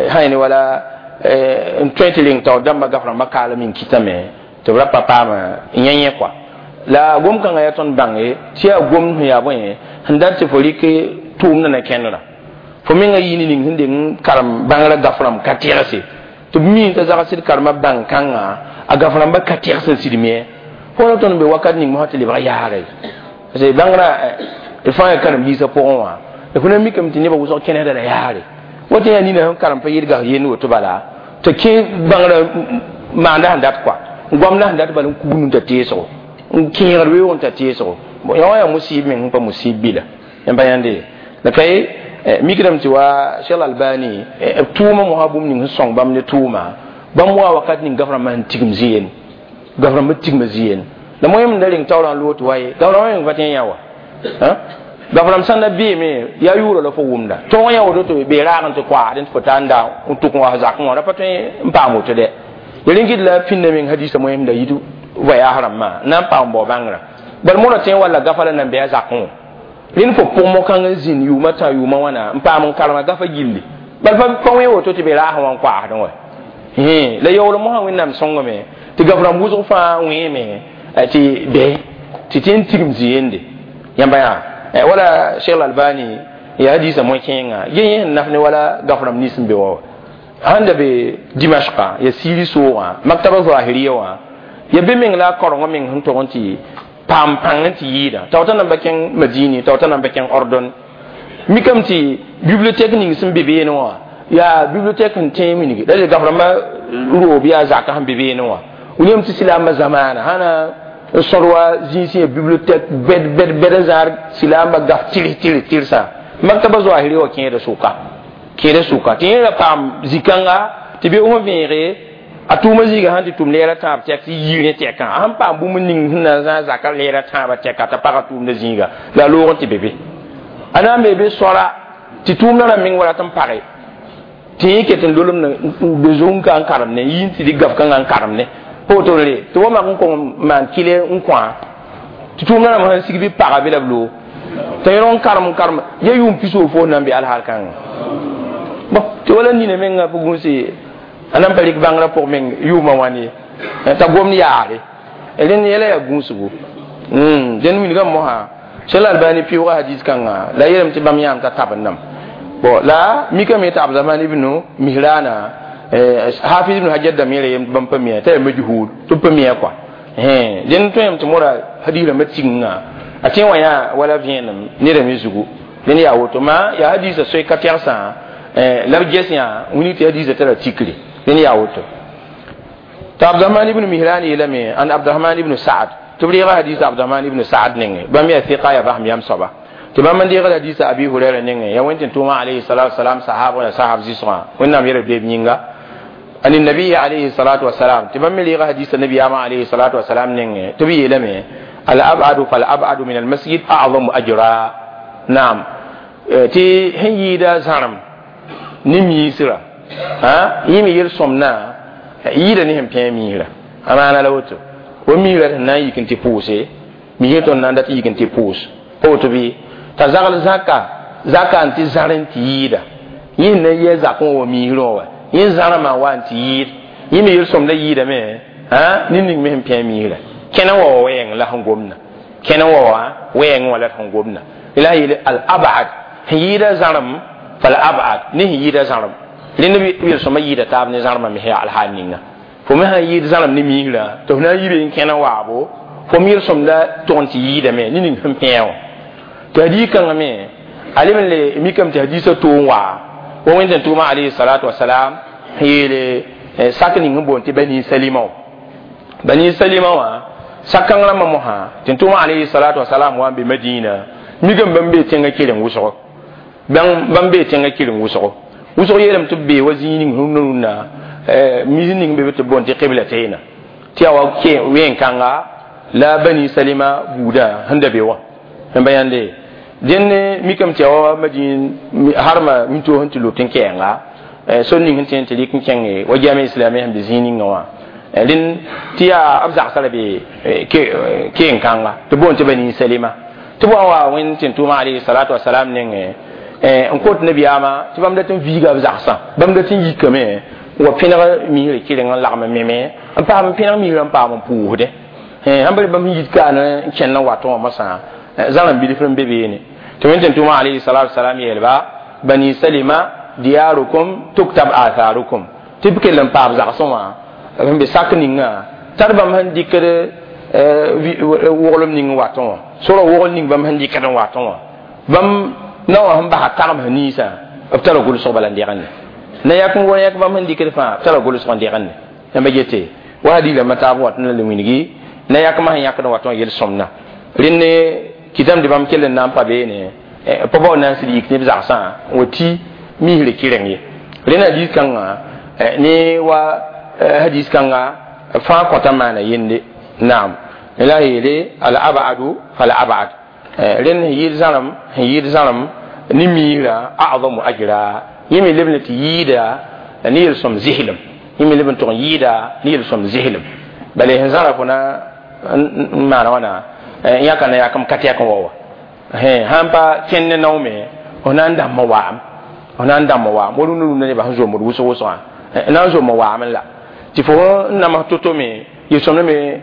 sã ne wala n tõe tɩ reng taoor dãmbã gaf rãmbã kaalem n kɩtame tɩ b ra pa paama yẽ yẽ kɔa la gom-kãngã yaa tõnd bãnge tɩ yaa gomd sẽn yaa bõe sẽn dat tɩ fo rɩk tʋʋmdã na kẽndrã fo menga yɩ ne ning sẽn deng karem bãngrã gaf rãmb ka tɛgse tɩ b mi t'a zagsd karemã bãng kãnga a gaf rãmbã ka tɛgs n sɩd me fo ra tõnd be wakat ning mosã tɩ lebg yaare parce que bãngrã d fãa yaa karen-biisã pʋgẽ wã fo na mikame tɩ nebã wʋsg kẽnesda la yaare woto yaa nina sẽn karem pa yɩl gas yend woto bala tɩ kẽ bãngrã maanda sẽn dat kɔa goamda sẽn dat bala n kugd n ta teesgo n kẽegd weoog n ta teesgo yã wã yaa musib meng sẽn pa musib bila yãmba yãnde la ka ye mikdame tɩ wa Cheikh Albani b tʋʋmã mosã bũmb ning sẽn sõng bãmb ne tʋʋma bãmb wa wakat ning gaf rãmbã sẽn tigm zĩ-yen gaf rãmbã tigma zĩ-yen la moẽm da reng taoorã n loog tɩ wa ye gaf rãmbã meng pa tẽ yã wa gaf rãmb sãn da beeme yaa yʋʋra la fo wʋmda tõog yã woto tɩ bee raag n tɩ koaad n tɩ fo ta n da n tʋk n wa zakẽ wã ra pa tõe n paam woto dɛ ya rẽn gɩd la pĩnda meng hadisa moẽm da yit voyage rãmbã n na n paam bao bãngrã bal mõra tõe n walla gafa la nan bɩ a zakẽ wã rẽnd fo pʋg mo-kãng n zĩnd yʋʋmã tã yʋʋmã wãna n paam n karema gafa gilli bal pa wẽ woto tɩ be raasẽ wã n koaasdẽ wa la yaool mosã Wẽnnaam sõngame tɩ gaf rãmb wʋsg fãa wẽeme tɩ bɩ tɩ tɩ n tigm zĩ-yende yãmba yaa wala Cheikh Albani ya hadisa moẽ-kẽenga ge yẽ sẽn naf ne wala gaf rãmb nins n be wã sãn da be Dimashka ya siiri soogã maktaba zahiriya wã ya be meng la a karengã meng sẽn tog n tɩ paam pãng n tɩ yɩɩda tao t'a nan pa kẽng Madini tao t'a nan pa kẽng Ordon mikame tɩ bibliothèque ning sẽn be beene wã yaa bibliothèque n tẽe mingi la gaf rãmbã roob yaa zakã sẽn be beene wã william tɩ silaambã zamaana sãna n sõd wa zĩig ya bibliothèque bɛd bɛd bɛd n zãad silaambã gaf tɩrs tɩrs tɩrsã maktaba zoahiri wã kẽeda sʋka kẽeda sʋka tɩ yẽ ra paam zĩ-kãnga tɩ be fõ vẽege a tʋʋmã zĩiga sãn tɩ tʋm leera tãab tɛk tɩ yir ne tɛkã a sẽn paam bũmb ning sẽn na n zãag zakã leera tãabã tɛka t'a pagã tʋʋmdã zĩiga la a loog n tɩ be be a na n be be sõra tɩ tʋʋmdã rãmb meng wa rat n page tɩ yẽ ket n lolem n be zong ka n karem ne yɩ n tɩ dɩk gaf kãngã n karem ne pa woto re tɩ wa mak n kong maan kɩle n kõa tɩ tʋʋmdã rãmb sãn sig bɩ paga be la b loog t'a yẽ n karem n karem ya yʋʋm pisoor fo na n be alhaal kãngã bon tɩ wala nina mengã pʋ gũuse a nan pa rɩk bãngrã pʋg meng yʋʋmã wãn ye t'a gomd yaare rẽnd yɛla yaa gũusgo dẽnd wilgame mosã Cheikh Albani pɩʋʋga hadis kãngã la yeelame tɩ bãmb yãam t'a tab n nam bon la mikame t'a Abdurahman ibn Mihrana Hafiz ibn Hajar da mere yem bãmb pa mia t'a yaa majhul tɩ b pa mia kɔa dẽnd tõem tɩ mõra hadis rãmbã tigengã a tẽ wã yaa wala vẽenem nedame zugu dẽnd yaa woto ma yaa hadisã soe ka tɛgsã la b ges yã wilg tɩ hadisã tara tikre dẽnd yaa woto t'a Abdurahman ibn Mihran yeelame an Abdurahman ibn Sa'ad tɩ b reega hadisa Abdurahman ibn Sa'ad nengẽ bãmb yaa thɩka yaa basem yam soaba tɩ bãmb n deegd hadisa Abi Hurɛra nengẽ yaa wẽn tɩ tʋʋmã alayhi salatu wasalam sahab la sahab zɩsgã Wẽnnaam yɛl beeb yĩnga عن النبي عليه الصلاة والسلام تبم لي حديث النبي عليه الصلاة والسلام نينغ تبي يلمي الأبعد فالأبعد من المسجد أعظم أجرا نعم تي هن يدا زارم نمي سرا ها يمي يرسمنا يدا نهم بيميرا أما أنا لوتو وميرا نا يكن تي بوسي ميرتون ناندا تي يكن تي بوس أوتو بي تزغل زكا زكا أنت زارن تي يدا yin na ye zakon wa miro wa yẽ zãrãmã wa n tɩ yɩɩd yẽ me yel-sõmda yɩɩdame nin ning me sẽn pẽ miisrã Kẽna wa wɛɛng la sẽn gomdã, kẽna wa wɛɛng wã la sẽn gomdã. La yeel al abad sẽn yɩɩda zãrem fal abad ne sẽn yɩɩda zãrem. Rẽnd yel-sõma yɩɩda taab ne zãremã me yaa alhaal ninga. Fo me sãn yɩɩd zãrem ne miisrã tɩ fo na n yi be n kẽna waabo, fo me yel-sõmda tʋg n tɩ yɩɩdame ne ning sẽn pẽ wã. Tɩ hadiis kãngã me a leb n le mikame tɩ hadiisã toog n waa wa Wẽnd tʋʋma alayhi salatu wasalam sẽn yeele sak ning sẽn boond tɩ Bani Salima wã. Bani Salima wã sak-kãng rãmbã mosã tɩ tʋʋma alayhi salatu wasalam wa n be Madina, mikame bãmb bee tẽngã keleng wʋsgo, bãmb bee tẽngã keleng wʋsgo. Wʋsg yeelame tɩ b bee wa zĩig ning rũndã rũndã mis ning be tɩ b boond tɩ qiblatayna, tɩ yaa wa wẽn-kãnga la Bani Salima buudã sẽn da be wã. N ba yãnde dẽnd mikame tɩ yaa wa Madin harma wĩntoog sẽn tɩ lut n kɛɛnga sor ning sẽn tẽ tɩ rɩk n kẽnge wa jame islami sẽn be zĩig ninga wã. Rẽnd tɩ yaa b zagsã ra be keen-kãnga tɩ boond tɩ Bani Salima. Tɩ b wa n wa Wẽnd tɩ tʋʋma alayhi salatu wasalam nengẽ n kot nabiyaamã tɩ bãmb dat n viiga b zagsã, bãmb dat n yikame n wa pẽneg misrã kɩreng n lagm n meme n paam n pẽneg misrã n paam n pʋʋsdẽ. Sãn pa bãmb sẽn yit kaan n kẽnd n watẽ wã mosã zãrem bilf n be beene. Tɩ Wẽnd tɩ tʋʋma alayhi salatu wasalam yeelba Bani Salima diyarukum tuktab atharukum, tɩ b kell n paam zagsẽ wã sẽn be sak ninga tar bãmb sẽn dɩkd woglem ning n watẽ wã, sorã wogl ning bãmb sẽn dɩkd n watẽ wã, bãmb na wã sẽn basa tagmsã ninsã b tara gʋlsg bala n degende na yak n yãk bãmb sẽn dɩkd fãa b tara gʋlsg n degende. Yãmba yete wa hadiisã taab wat n la le wilgi na yakmã sẽn yãkd n watẽ wã yel-sõmda. Rẽnd kɩtame tɩ bãmb kell n na n pa beene pa bao na n sɩd yik ne b zagsã n wa tɩ misrã kɩreng ye. Rẽnd hadiis kãngã ne wa hadiis kãnga fãa kõta maana yende. Naam, la yeele al abadu fal abad. Rẽnd sẽn yɩɩd zãrem, sẽn yɩɩd zãrem ne miisrã a'zamu ajra, yẽ me leb n tɩ yɩɩda ne yel-sõm zɩslem, yẽ me leb n tʋg n yɩɩda ne yel-sõm zɩslem. Bala sẽn zãra fo na n maana wãna n yãka na yakem ka tɛk n wa wa sãn pa kẽnd ne nao me f na n dãmb n waam, f na n dãmb n waam wa rũndã rũndã nebã sẽn zomd wʋsg wʋsgã na n zom n waam la tɩ fo n nams to-to me yel-sõmdã me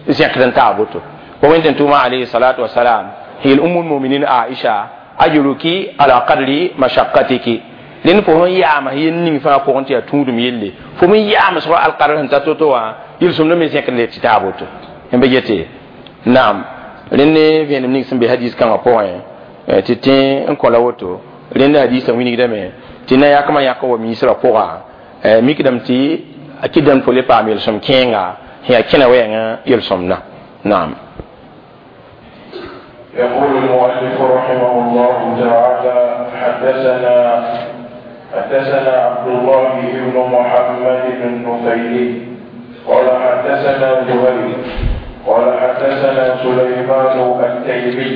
zẽkd n taa boto. Wa Wẽnd tʋʋma alayhi salatu wasalam yel Ummul muminin Aisha ajruki ala qadri mashaqqatiki, rẽnd fo sẽn yaam yel ning fãa pʋgẽ tɩ yaa tũudum yelle, fo me yaamsg alqadr sẽn ta to-to wã yel-sõmdã me zẽkd le tɩ taa boto. Yãmba yete naam, rẽnd ne vẽenem ning sẽn be hadiis kãngã pʋgẽ tɩ tẽ n kõ la woto. Rẽnd hadiisã wilgdame tɩ na yakmã yãk wa miisrã pʋga mikdame tɩ a kɩdame fo le paam yel-sõm kẽenga sẽn yaa kẽna wɛɛngã yel-sõmdã. Naam. يقول المؤلف رحمه الله تعالى: حدثنا عبد الله بن محمد النفيلي قال حدثنا زهير قال حدثنا سليمان التيمي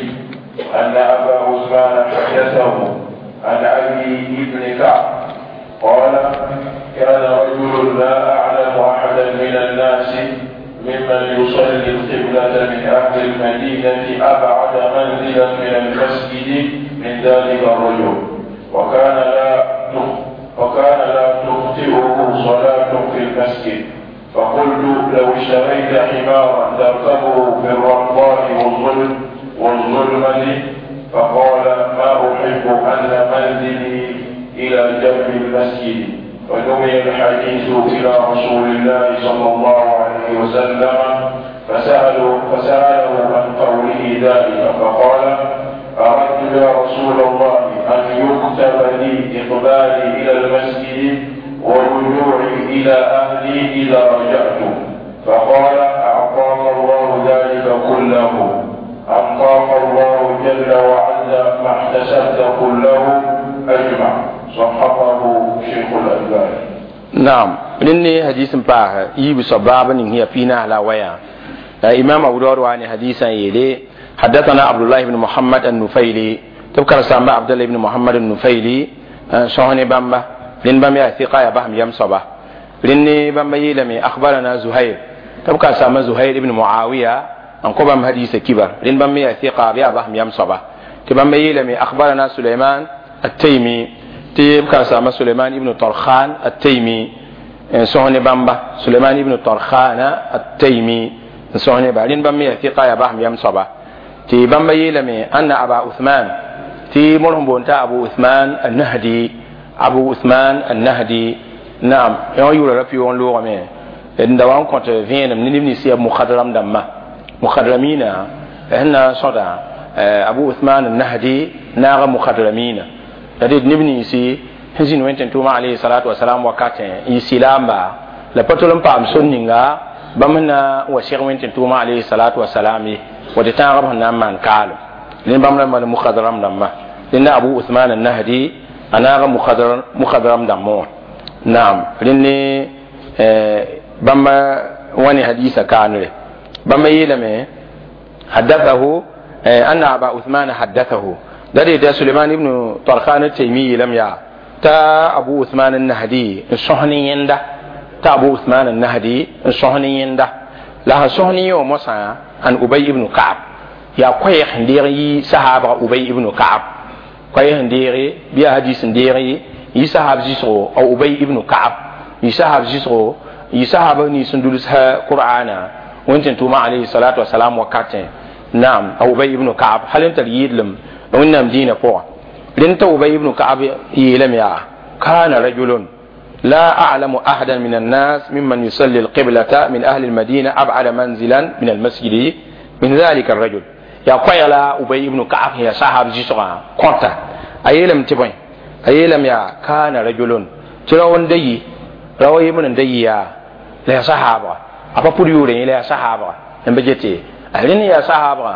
أن أبا عثمان حدثه عن أبي بن كعب قال: كان رجل لا أعلم أحدا من الناس ممن يصلي القبلة من أهل المدينة أبعد منزلا من المسجد من ذلك الرجل، وكان لا تخطئه صلاة في المسجد، فقلت: لو اشتريت حمارا تركبه في الرمضاء والظلمة، فقال: ما أحب أن منزلي إلى جنب المسجد. ونوي الحديث إلى رسول الله صلى الله عليه وسلم فسأله عن قوله ذلك، فقال: أردت يا رسول الله أن يكتب لي إقبالي إلى المسجد ورجوعي إلى أهلي إذا رجعت. فقال: أعطاك الله ذلك كله، أعطاك الله جل وعز ما احتسبت كله أجمع. صححه شيخ الألباني. نعم، لأن حديث باه يبي باب هي فينا على ويا إمام أبو داود وعن حديثا يلي حدثنا عبد الله بن محمد النفيلي تذكر سامبا عبد الله بن محمد النفيلي شهني بامبا لين بام يا ثقة يا بهم يم صبا لين بامبا يلمي أخبرنا زهير تذكر سامبا زهير بن معاوية أنقبم حديث كبر لين بام يا ثقة يا بهم يم صبا تبام يلمي أخبرنا سليمان التيمي تذكر سامبا سليمان ابن طرخان التيمي شهني بامبا سليمان ابن طرخان التيمي N sõs neba rẽnd bãmb me yaa fiqa yaa basem yam soaba tɩ bãmba yeelame anna aba uthman tɩ mor sẽn boond t'a abu uthman annahdi abu uthman annahdi naam yõ yʋʋra ra pɩʋʋg n loogame n da wa n kõt vẽenem ne neb nins yaa mukadram dãmbã mukadramina sẽn na n sõda abu uthman annahdi naaga mukadramina la ded neb ninsi sẽn zĩnd wẽn tʋʋma alayhi salatu wasalam wakatẽ n yɩ sɩlaamba la pa tol n paam sor ninga bãmb sẽn na n wa seg wẽn tʋʋma alayhi salatu wasalam ye wa tɩ tãagb sẽn na n maan kaalem rẽnd bãmb rãmba ne mukadram dãmba rẽnda abu uthman annahdi a naaga mukadram dãmbã wã naam rẽnd ne bãmba wa ne hadisa kaanre bãmba yeelame haddathahu anna aba uthman haddathahu da dee suleiman ibn tarkhan taymi yeelame yaa ta abu uthman annahdi n sõs ne yẽnda ta abu uthman annahdi n sõs ne yẽnda la sẽn sõs ne yẽ wã mosã an ubay ibn ka'ab yaa koɛɛg sẽn deeg n yi sahaabga ubay ibn ka'ab koɛɛg sẽn deege bɩ yaa hadis n deeg yi sahab zɩsgo a ubay ibn ka'ab yi sahab zɩsgo yi sahab nins n dulsa qur'ana wẽn tɩ tʋʋma alayhi salatu wasalam wakatẽ naam a ubay ibn ka'ab hal n tar yɩɩdlem wẽnnaam dĩinã pʋgã rẽnd t'a ubay ibn ka'ab yeelame yaa kana rajulun لا أعلم أحدا من الناس ممن يصلي القبلة من أهل المدينة أبعد منزلا من المسجد من ذلك الرجل يا قيلا أبي بن كعب يا صاحب جيسوغا كونتا أيلم تبين أيلم يا كان رجل ترون دي روي من دي يا لا صحابة أبا بوريوري لا صحابة نبجتي أهلين يا صحابة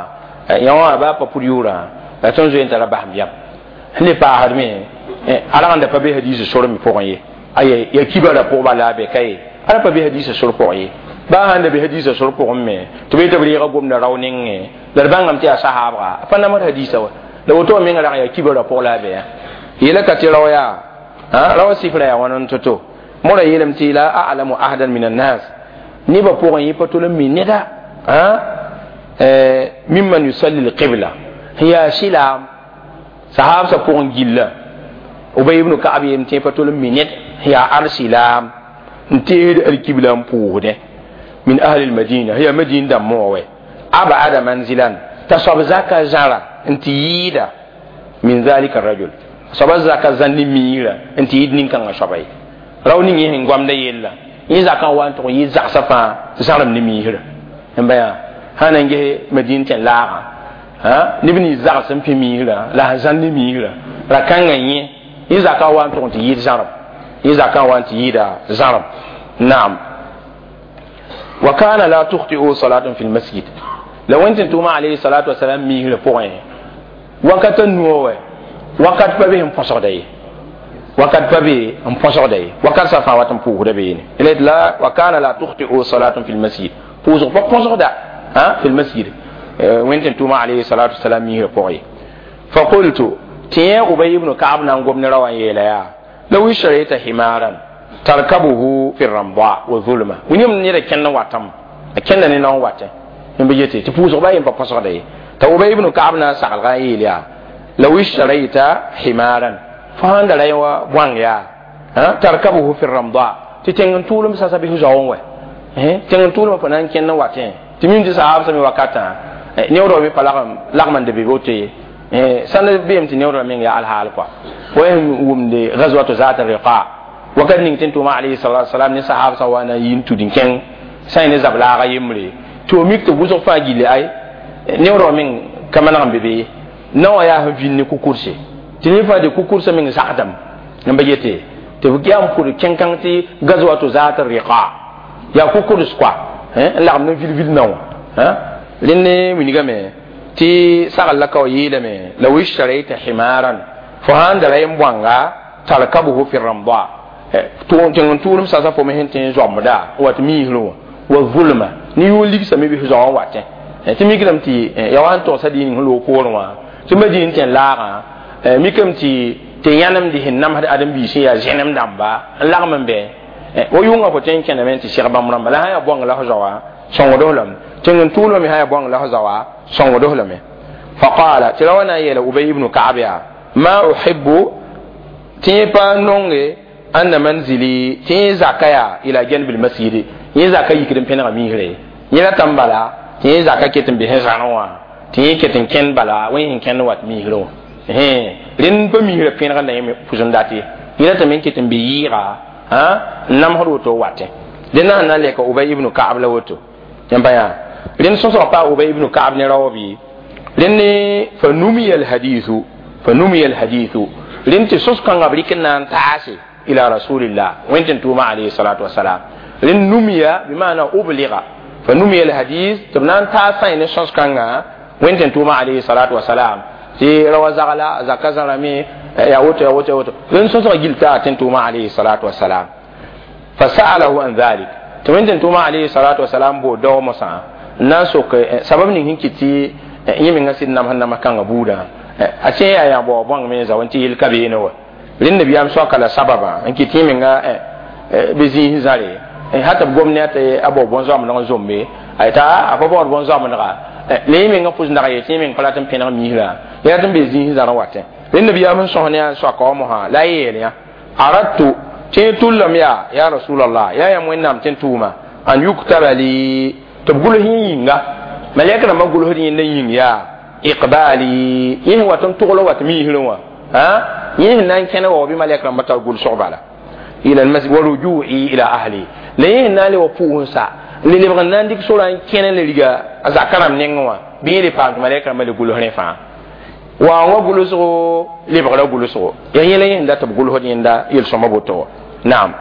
يا أبا بوريورا لا تنزو أنت ربهم يا هني باهرمي ala ãnda pa be hadiisa sor me pʋgẽ ye aye ya kibara pʋgba la a be ka ye ala pa be hadiisa sor pʋgẽ ye baa sãn da be hadiisa sor pʋgẽ me tɩ b tɩ b reega gomda rao nengẽ la d bãngame tɩ yaa sahaabga a pa namd hadiisa wa la woto menga rag yaa kibara pʋg la a be yeela ka tɩ rao yaa rao sifra yaa wãn n to-to mora yeelame tɩ la a'lamu ahadan min annas nebã pʋgẽ yẽ pa tol n mi neda mimman yusalli lqibla sẽn yaa sɩlaam sahaabsã pʋgẽ gilla ubay ibn ka'ab yem tɩ pa tol n mi ned ya arsilam n teed alkibla n pʋʋsdẽ min ahli lmadina ya madin dãmbã wã wɛ abada manzilan t'a soab zaka zãra n tɩ yɩɩda min zalika rajul soaba zaka zãn ne miirã n tɩ yɩɩd nin-kãngã soaba ye rao ning yẽ sẽn goamda yella yẽ zakã wa n tʋg n yɩ zagsã fãa zãrem ne miisrã n ba yaa sã na n ges madin tẽn laagã neb nins zags n pẽ miisrã la sẽn zãn ne miisrã ra-kãngã yẽ yẽ zakã wa n tʋg n tɩ yɩɩd zãrem yẽ zakã wa n tɩ yɩɩda zãrem naam wa kana la tukhti'u salatun fi lmasjid la wẽn tɩ tʋʋma alayhi salatu wasalam miisrã pʋgẽ wakat n nuo wɛ wakat pa be n põsgda ye wakat pa be n põsgda ye wakat sã fãa wat n pʋʋsda beene la wa kana la tukhti'u salatun fi lmasjid pʋʋsg pa põsgda fi lmasjid wẽn tɩ tʋʋma alayhi salatu wasalam miisrã pʋgẽ ye faqultu tɩ yẽ ubay ibn ka'ab na n gom ne ra wã n yeela yaa law ishtarayta himaran tarkabuhu fi ramda wa zulma wĩnem neda kẽnd n watame a kẽnda ne nao n watẽ n be yete tɩ pʋʋsg ba yen pa põsgda ye t'a ubay ibn ka'ab na n saglga n yeel yaa law ishtarayta himaran fo sãn da ra yẽ wa bõang yaa tarkabuhu fi ramda tɩ tẽng n tʋʋlem sasa bɩ zaoẽ wɛ tẽng n tʋʋlmã fo na n kẽnd n watẽ tɩ mim tɩ sahaab sã me wakatã neoodg me pa lagm n da be woto ye sãn beem tɩ neoodgã meng yaa alhaal kɔa wa sẽn wʋmde gazwatu zat riqa wakat ning tɩ n tʋʋma alayhi salatu wasalam ne sahab sã wa na n yi n tud n kẽng sã yẽ ne zab laaga yembre tɩ f mik tɩ wʋsg fãa gilli ay neoodgã meng ka maneg n be be ye naowã yaa sẽn vĩnd ne kukurse tɩ ne fãa de kukursã meng zagdame n ba yete tɩ b yaa n pʋd kẽn-kãng tɩ gazwatu zat riqa yaa kukurs kɔa n lagem ne vil-vil naowã rẽnd ne wilgame tɩ sagl la ka wa yeelame law ishtarayta himaran fo sãn da ra yen bõanga tarkabuhu fi ramda tẽng n tʋʋlem sasa fo me sẽn tẽ n zoamda n wat miisrẽ wã wa zulma ne yʋʋn ligsame bɩ zoa n watẽ tɩ mikdame tɩ ya wa n togsã dĩig ning sẽn loog poorẽ wã tɩ madin tẽn laagã mikame tɩ yãnemd sẽn namsd ãdem-biis sẽn yaa zẽnem dãmba n lagm n bɛ wa yʋngã fo tõe n kẽname tɩ seg bãmb rãmba la sã yaa bõng la f zaoa sõngd lame tẽng n tʋʋlmame sã yaa bõng la f zaoa sõngd lame faqala tɩ ra wa na n yeela ubay ibnu ka'ab yaa ma uhibbu tɩ yẽ pa nonge anna manzili tɩ yẽ zaka yaa ila janbi lmasjidi yẽ zaka yikd n pẽnega miisre Yẽla tãmb bala tɩ yẽ zaka ket n bes zãrẽ wã tɩ yẽ ket n kẽnd bala wẽ sẽn kẽnd wat misrẽ wã rẽnd pa misrã pẽnegd la yẽ pʋs n dat ye yẽla tɩ me ket n be yɩɩga n namsd woto watẽ dẽnda sẽn na n lɛka Ubay ibn Ka'ab la woto yãmb pa yaa rẽnd sõsg paa Ubay ibn Ka'ab ne raob ye rẽnd fa numiya alhadithu fa numiya alhadithu rẽnd tɩ sõs-kãngã b rɩk n na n taase ila rasulillah wẽn tɩ n tʋʋma alayhi salatu wasalam rẽnd numiya bimana ubliga fa numiya alhadith tɩ b na n taas sã ne sõs-kãngã wẽn tɩ n tʋʋma alayhi salatu wasalam tɩ rawa zagla zaka zãrame ya woto ya woto ya woto rẽnd sõsg gill taa tɩ n tʋʋma alayhi salatu wasalam fa sa'alahu an dhalik tɩ wẽn tɩ n tʋʋma alayhi salatu wasalam boo dao mosã n na n sok sabab ning sẽn kɩt tɩ yẽ menga sɩd namsd nams kãngã buudã a tẽ yaa yaa bao bõng me zaoẽ tɩ yel ka beene wa rẽnd nabiyaam soaka la sababã n kɩt yẽ menga bɩ zĩis zãre hata b gom ne tɩ a bao bõn-zoamdg n zombe a yeta a pa baood bõn-zoamdga la yẽ menga pʋs nag ye tɩ yẽ meng pa rat n pẽneg misrã yẽ rat n be zĩis zãrẽ watẽ rẽnd nabiyaam sẽn sõs ne a soaka wã mosã la a yeel yã aradtu tɩ yẽ tullame yaa ya rasulallah yaa yãmb wẽnnaam tɩ n tʋʋma an yuktaba li tɩ b gʋls yẽ yĩnga malɛk rãmbã gʋlsd yẽnda yĩng yaa iqbali yẽ sẽn wat n togl wat misrẽ wã yẽ sẽn na n kẽne wa bɩ malɛk rãmbã tar gʋlsg bala ila almasjid wa rujui ila ahli la yẽ sẽn na n le wa pʋʋs-sa le lebg n na n dɩk sorã n kẽne la riga a zaka rãmb nengẽ wã bɩ yẽ le paam tɩ malɛk rãmbã le gʋls rẽ fãa wa wã gʋlsgo lebgra gʋlsgo yaa yẽla yẽ sẽn dat b gʋlsd yẽnda yel-sõma boto wã naam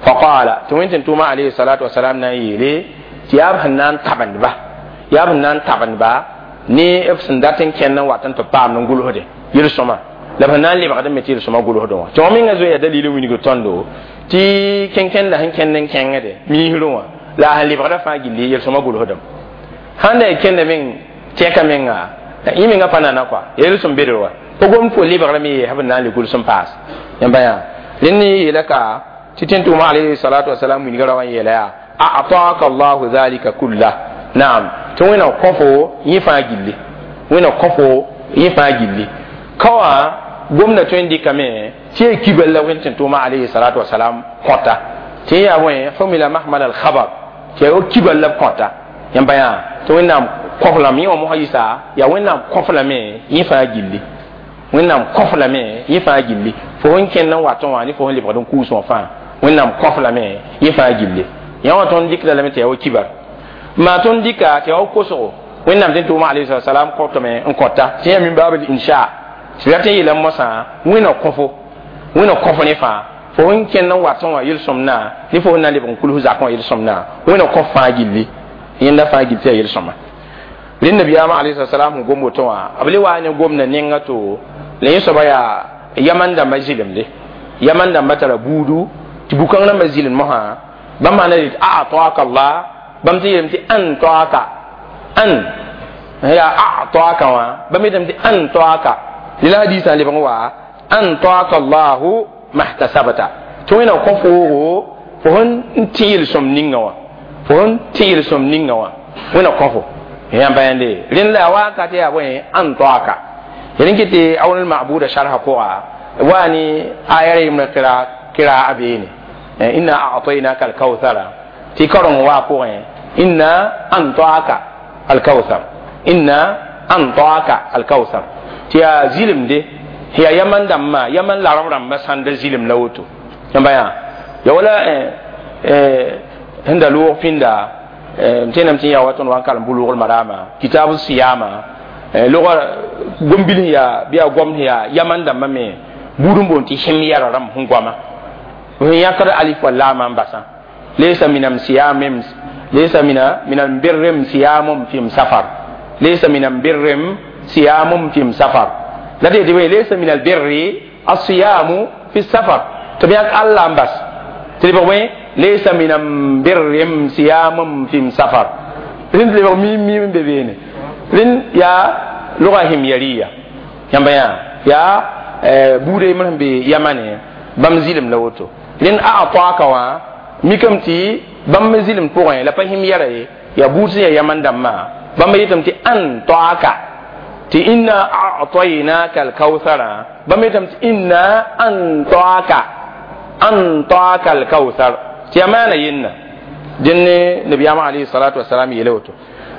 faqala tɩ wẽn tɩ n tʋʋma alayhi salatu wasalam na n yeele tɩ yaa b sẽn na n tabendba yaa b sẽn na n tabendba ne b sẽn dat n kẽnd n wat n tɩ paam n gʋlsde yel-sõma la b sẽn na n lebgd me tɩ yel-sõma gʋlsdẽ wã tɩ wã menga zoe yaa dalil n wilg tõndo tɩ kẽn-kẽnda sẽn kẽnd n kẽngde misrẽ wã la a sẽn lebgda fãa gilli yel-sõma gʋlsdem sãn da y kẽnda meng tɛka menga yẽ menga pa nana kɔa yel-sõm bedr wa pa gom fo lebgrame yeesa b na n le gʋls n paas yãmba yaa rẽnd yeela ka tɩ tẽn tʋʋma alayhi salatu wasalam wilga ra wã n yeela yaa a'taka allahu dhalika kullah naam tɩ wẽna kõ-fo yẽ fãa gilli wẽna kõ-fo yẽ fãa gilli ka wã gomda tõe n dɩkame tɩ yaa kibal la wẽn tɩ n tʋʋma alayhi salatu wasalam kõta tɩ yaa bõe humila mahmal alkhabar tɩ yaa kibal la b kõta yãmba yaa tɩ wẽnnaam kõf lame yẽ wã mosã yɩsa yaa wẽnnaam kõf lame yẽ fãa gilli wẽnnaam kõf lame yẽ fãa gilli fo sẽn kẽnd n watẽ wã ne fo sẽn lebgd n kuus wã fãa wẽnnaam kõf lame yẽ fãa gilli yã wã tõnd dɩkda lame tɩ yaa wa kibar maa tõnd dɩka tɩ yaa wa kosgo wẽnnaam tɩ n tʋʋma alayhi salam kõtame n kõta tɩ yaa min baabl insha tɩ rat n yeela mosã wẽna kõfo wẽna kõf ne fãa fo sẽn kẽnd n watẽ wã yel-sõmdã ne fo sẽn na n lebg n kuls zakẽ wã yel-sõmdã wẽna kõf fãa gilli yẽnda fãa gill tɩ yaa yel-sõma rẽnd nabiyaamã alayhi salam sẽn gom woto wã b le waa ne gomda nenga to la yẽ soaba yaa yaman dãmbã zɩlemde yaman dãmbã tara buudu tɩ bu-kãng rãmbã zɩlemd mosã bãmb maana rɩt a'taka allah bãmb tɩ yeelame tɩ an toaka an yaa a'taka wã bãmb yetame tɩ an toaka la hadisã lebg n wa an toaka allahu mahtasabta tɩ wẽna kõ foogo fo sẽn tẽ yel-sõm ninga wã fo sẽn tẽ yel-sõm ninga wã wẽna kõ fo yãmba yãnde rẽnd la wakat yaa bõe an toaka rẽn kɩ tɩ awn lmabuda sharha pʋga wa ne aya yembrã kɩra a beene inna a'tainaka alkawthara tɩ kareng waa pʋgẽ inna antaaka alkawthar inna antaaka alkawthar tɩ yaa zɩlemde yaa yaman dãmbã yaman larb rãmbã sãnda zɩlem la woto yãmba yaa ya wala sẽn da loog pĩnda m tẽename tɩ yaa wa tõnd wa n kalem bʋ-loogl marama kitab siyama logã gom-bil yaa bɩ yaa gomd yaa yaman dãmbã me buud n boond tɩ himyara rãmb sẽn goama sẽn yãkd alif wa laama n basã laysa min siyamim laysa min albirrim siyamum fi safar laysa min albirrim siyamum fi safar la tɩ tɩ laysa min albirri asiyamu fi safar tɩ b yãk alla n bas tɩ lebg bõe laysa min albirrim siyamum fi safar rẽnd lebg mim mim n be beene rẽnd yaa logã himyariya yãmba yã yaa buuda yembr sẽn be yamane bãmb zɩlem la woto rẽnd a toaka wã mikame tɩ bãmb zɩlem pʋgẽ la pa him yɛra ye yaa buud sẽn yaa yaman dãmbã bãmb yetame tɩ an toaka tɩ inna a'tainaka alkawthara bãmb yetame tɩ inna an toaka alkawthar tɩ yaa maana yenna Dẽnd nabiyaamã alayhi salatu wasalam yeela woto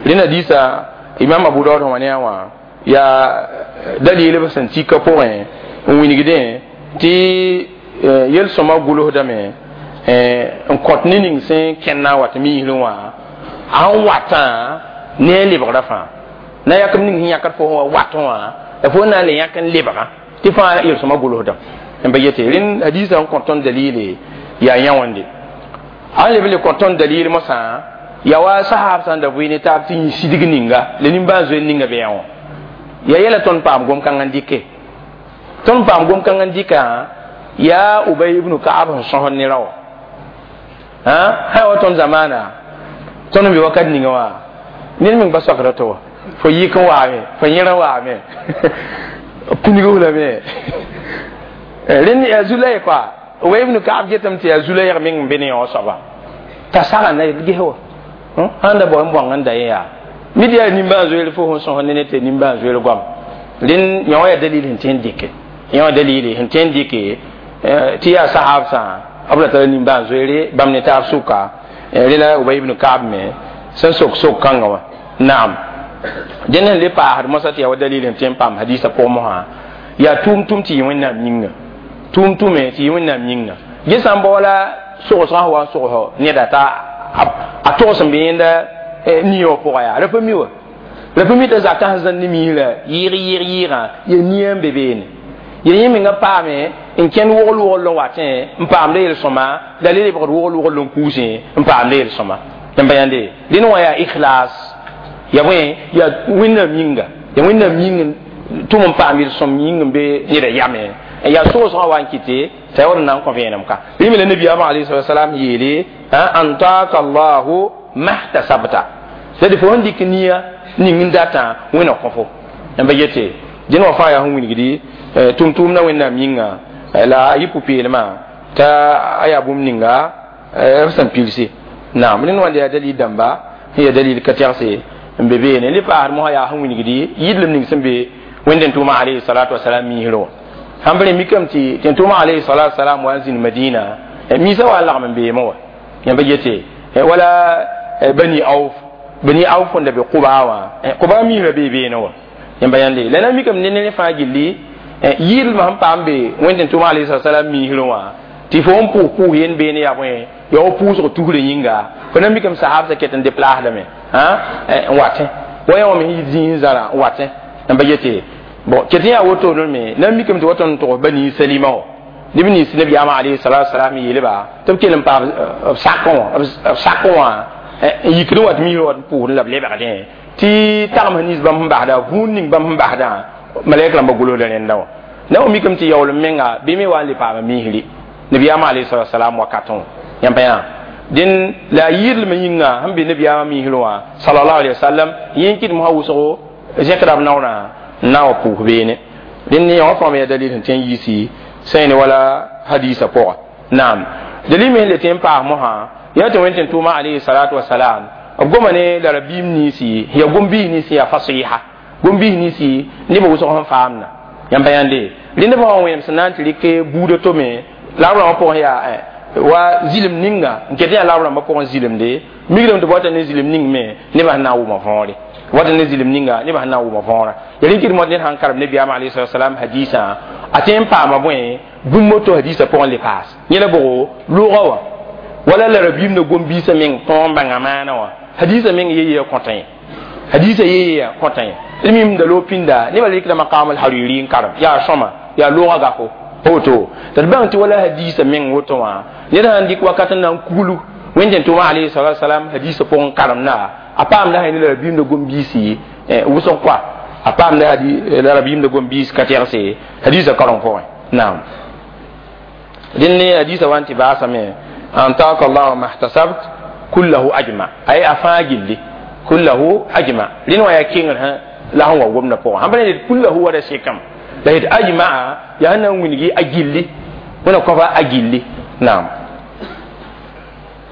rẽnd hadiisa imam Abu Daud wã ne a wã yaa dalil b sẽn tika pʋgẽ n wilgdẽ tɩ yel-sõma gʋlsdame n kõt ne ning sẽn kẽnd n wat miisrẽ wã a sẽn watã ne a lebgrã fãa na yak b ning sẽn yãkd fo wã wat wã la fo na n le yãk n lebga tɩ fãa yel-sõma gʋlsdame n ba yete rẽnd hadiisã n kõt tõnd dalile yaa yã wãnde a n leb le kõt tõnd dalil mosã ya wa sahab sãn da vɩ ne taab tɩ yĩ sidg ninga la nimbãan-zoeer ninga be yã wã ya yɛla tõnd paam gom-kãng n dɩke tõnd paam gom-kãng n dɩka yaa Ubay ibn Kaab sẽn sõsd ne rao sã wa tõnd zamaana tõnd n be wakat ninga wã ned meng pa soakda to wa fo yik n waame fo yẽr n waame pĩnig f lame rẽnd yaa zu-la koa Ubay ibn Kaab getame tɩ yaa zu-la meng n be ne yõ soaba t'a saga na ges wa sãn da bao n bõng n da yẽ yaa mid yaa nimbãan-zoeer fo sẽn sõs ne ne tɩ nimbãan-zoeer goam rẽnd yõ yaa dalil sẽn tõe n dɩke yõ dalili sẽn tõe n dɩke tɩ yaa sahabsã b ra tara nimbãan-zoeere bãmb ne taab sʋka rẽ la Ubay ibn Kaab me sẽn sok sok-kãngã wã naam dẽnd sẽn le paasd mosã tɩ yaa wa dalil sẽn tõe n paam hadiisã pʋgẽ mosã yaa tʋʋm-tʋm tɩ yɩ Wẽnnaam yĩnga tʋʋm-tʋme tɩ yɩ Wẽnnaam yĩnga ge sã n bao la sogsgã sẽn wa n sogs neda t'a a togs n be yẽnda nia wã pʋga yaa ra pa mi wa la pa mi t'a zakã sẽn zãnd ne miisrã yɩɩg yɩɩg yɩɩgã yaa nia n be beene ya yẽ menga paame n kẽnd wogl wogl n watẽ n paamda yel-sõma la le lebgd wogl wogl n kuusẽ n paamda yel-sõma n pa yãnde dẽn wã yaa ikhlas ya bõe yaa Wẽnnaam yĩnga ya Wẽnnaam yĩng tʋm n paam yel-sõm yĩng n be neda yame yaa sogsgã wa n kɩte t'a ya wa d na n kõ vẽenem ka rẽ me la nabiyaamã alayhi salam yeele antaka Allahu mahtasabta c'est-à-dire fo sẽn dɩk nia ning n datã Wẽnna kõ fo n pa yete dẽn wã fãa yaa sẽn wilgdi tʋm-tʋʋmdã Wẽnnaam yĩnga la a yɩ pʋ-peelmã t'a a yaa bũmb ninga b sẽn pilse naam rẽnd wãnda yaa dalil dãmba sẽn yaa dalil ka tɛgse n be beene le paasd mosã yaa sẽn wilgdi yɩdlem ning sẽn be Wẽnd tʋʋma alayhi salatu wasalam miisrẽ wã sãn b rẽ mikame tɩ tẽn-tʋʋma alayhi salatu wasalam wa n zĩnd Madina miisã wa n lagm n beemẽ wã yãmba yete wala Bani Auf Bani Auf n da be Quba wã Quba miisrã bee beene wã yãmba yãnde la na mikame ne ne fãa gilli yɩɩdlmã sẽn paam be Wẽnd tʋʋma alayhi salatu wasalam miisrẽ wã tɩ fo n pʋʋs pʋʋs yend beene yaa bõe yaa wa pʋʋsg tusrã yĩnga fo na mikame sahabsã ket n deplaasdame n watẽ wa yã wã me sẽn yit zĩig n zãra n watẽ yãmba yete bon ket n yaa woto me na mikame tɩ wa tõnd n tʋgs Bani Salima wã neb nins nabiyaamã alayhi salatu wasalam yeelba tɩ b kell n paam b sakẽ wã n yikd n wat miisrã wat n pʋʋsd la b lebgdẽ tɩ tagms nins bãmb sẽn basda vũun ning bãmb sẽn basdã malɛk rãmba gʋlsda rẽndã wã na wa mikame tɩ yaoolem menga bɩ me wa n le paama miisri nabiyaamã alayhi salatu wasalam wakatẽ wã yãmba yã dẽn la a yɩɩdlmã yĩnga sẽn be nabiyaamã miisrẽ wã sallallahu alayhi wa sallam yẽ n kɩt mosã wʋsgo zẽkda b naoorã n na n wa pʋʋs beene dẽnd yã wã fãa me yaa dalil sẽn tõe n yiisi sẽn ne wala hadiisã pʋga naam dalil me sẽn le tõe n paas mosã yaa tɩ Wẽnd tʋʋma alayhi salatu wasalam b goma ne la rabiim ninsi yaa gom-biis ninsi yaa fasiha gom-biis ninsi nebã wʋsg sẽn faamda yãmba yãnde rẽnd b wã wẽnem sẽn na n tɩ rɩk buudã to me la b rãmbã pʋgẽ yaa wa zilem ninga n ket yaa la b rãmbã pʋgẽ zilemde migrame tɩ bota ne zilem ning me nebã sẽn na n wʋma võore wata ne zilem ninga nebã sẽn na n wʋma võora ya rẽn kɩt mot ned sãn karem nabiyaamã alayhi salatu wasalam hadiisã a tõe n paama bõe bũmb woto hadiisã pʋgẽ le paas yẽ la bʋgo loogã wã wala la rabiimdã gom-biisã meng tõog n bãnga maana wã hadiisã meng ye-yeya kõtã ye hadiisã ye-yeya kõtã ye d mim da loog pĩnda nebã rɩkda maqam al-hariri n karem yaa sõma yaa loogã gafo woto tɩ d bãng tɩ wala hadiisã meng woto wã ned sãn dɩk wakat n na n kuglu Wẽnd tʋʋma alayhi salatu wasalam hadiisã pʋgẽ karemda a paamda sã ne la rabiimdã gom-biisi wʋsg koa a paamda la rabiimdã gom-biis ka tɛgse hadiisã karem pʋgẽ naam dẽnd ne hadiisã wa n tɩ baasame antaka Allahu mahtasabt kullahu ajma ay a fãa gilli kullahu ajma rẽnd wã yaa kengr la sẽn wa gomdã pʋgẽ sãn pa ne kullahu wa ra sekame la yet ajmaa yaa sẽn na n wilgi a gilli wẽna kõfa a gilli naam.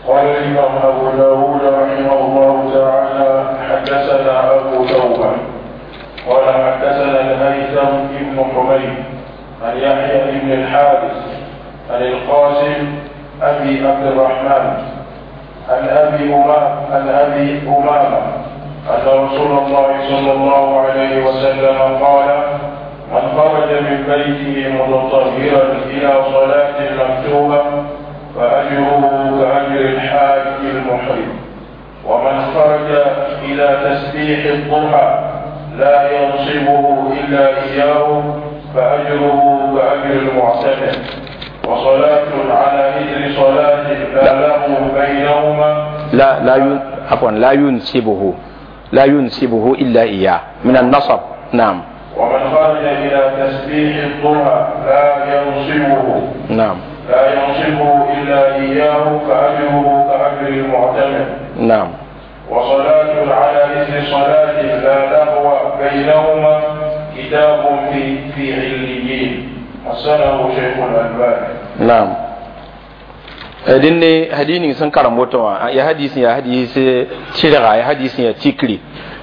قال الإمام أبو داود رحمه الله تعالى حدثنا أبو توبة قال حدثنا الهيثم بن حميد عن يحيى بن الحارث عن القاسم أبي عبد الرحمن عن أبي أمامة أن رسول الله صلى الله عليه وسلم قال: من خرج من بيته متطهرا إلى صلاة مكتوبة فأجره كأجر الحاج المحرم، ومن خرج إلى تسبيح الضحى لا ينصبه إلا إياه فأجره كأجر المعتمر، وصلاة على إثر صلاة لا له بينهما لا ينسبه إلا إياه من النصب. نعم. ومن خرج إلى تسبيح الضحى لا ينصبه، نعم، لا ينصبه إلا إياه فأجره كأجر المعتمر. نعم. وصلاة على إثر صلاة لا لغو بينهما كتاب في عليين. حسنه شيخ الألباني. نعم. دين hadini sun karamboto ya hadisi ya hadisi tiraga ya hadisi ya tikri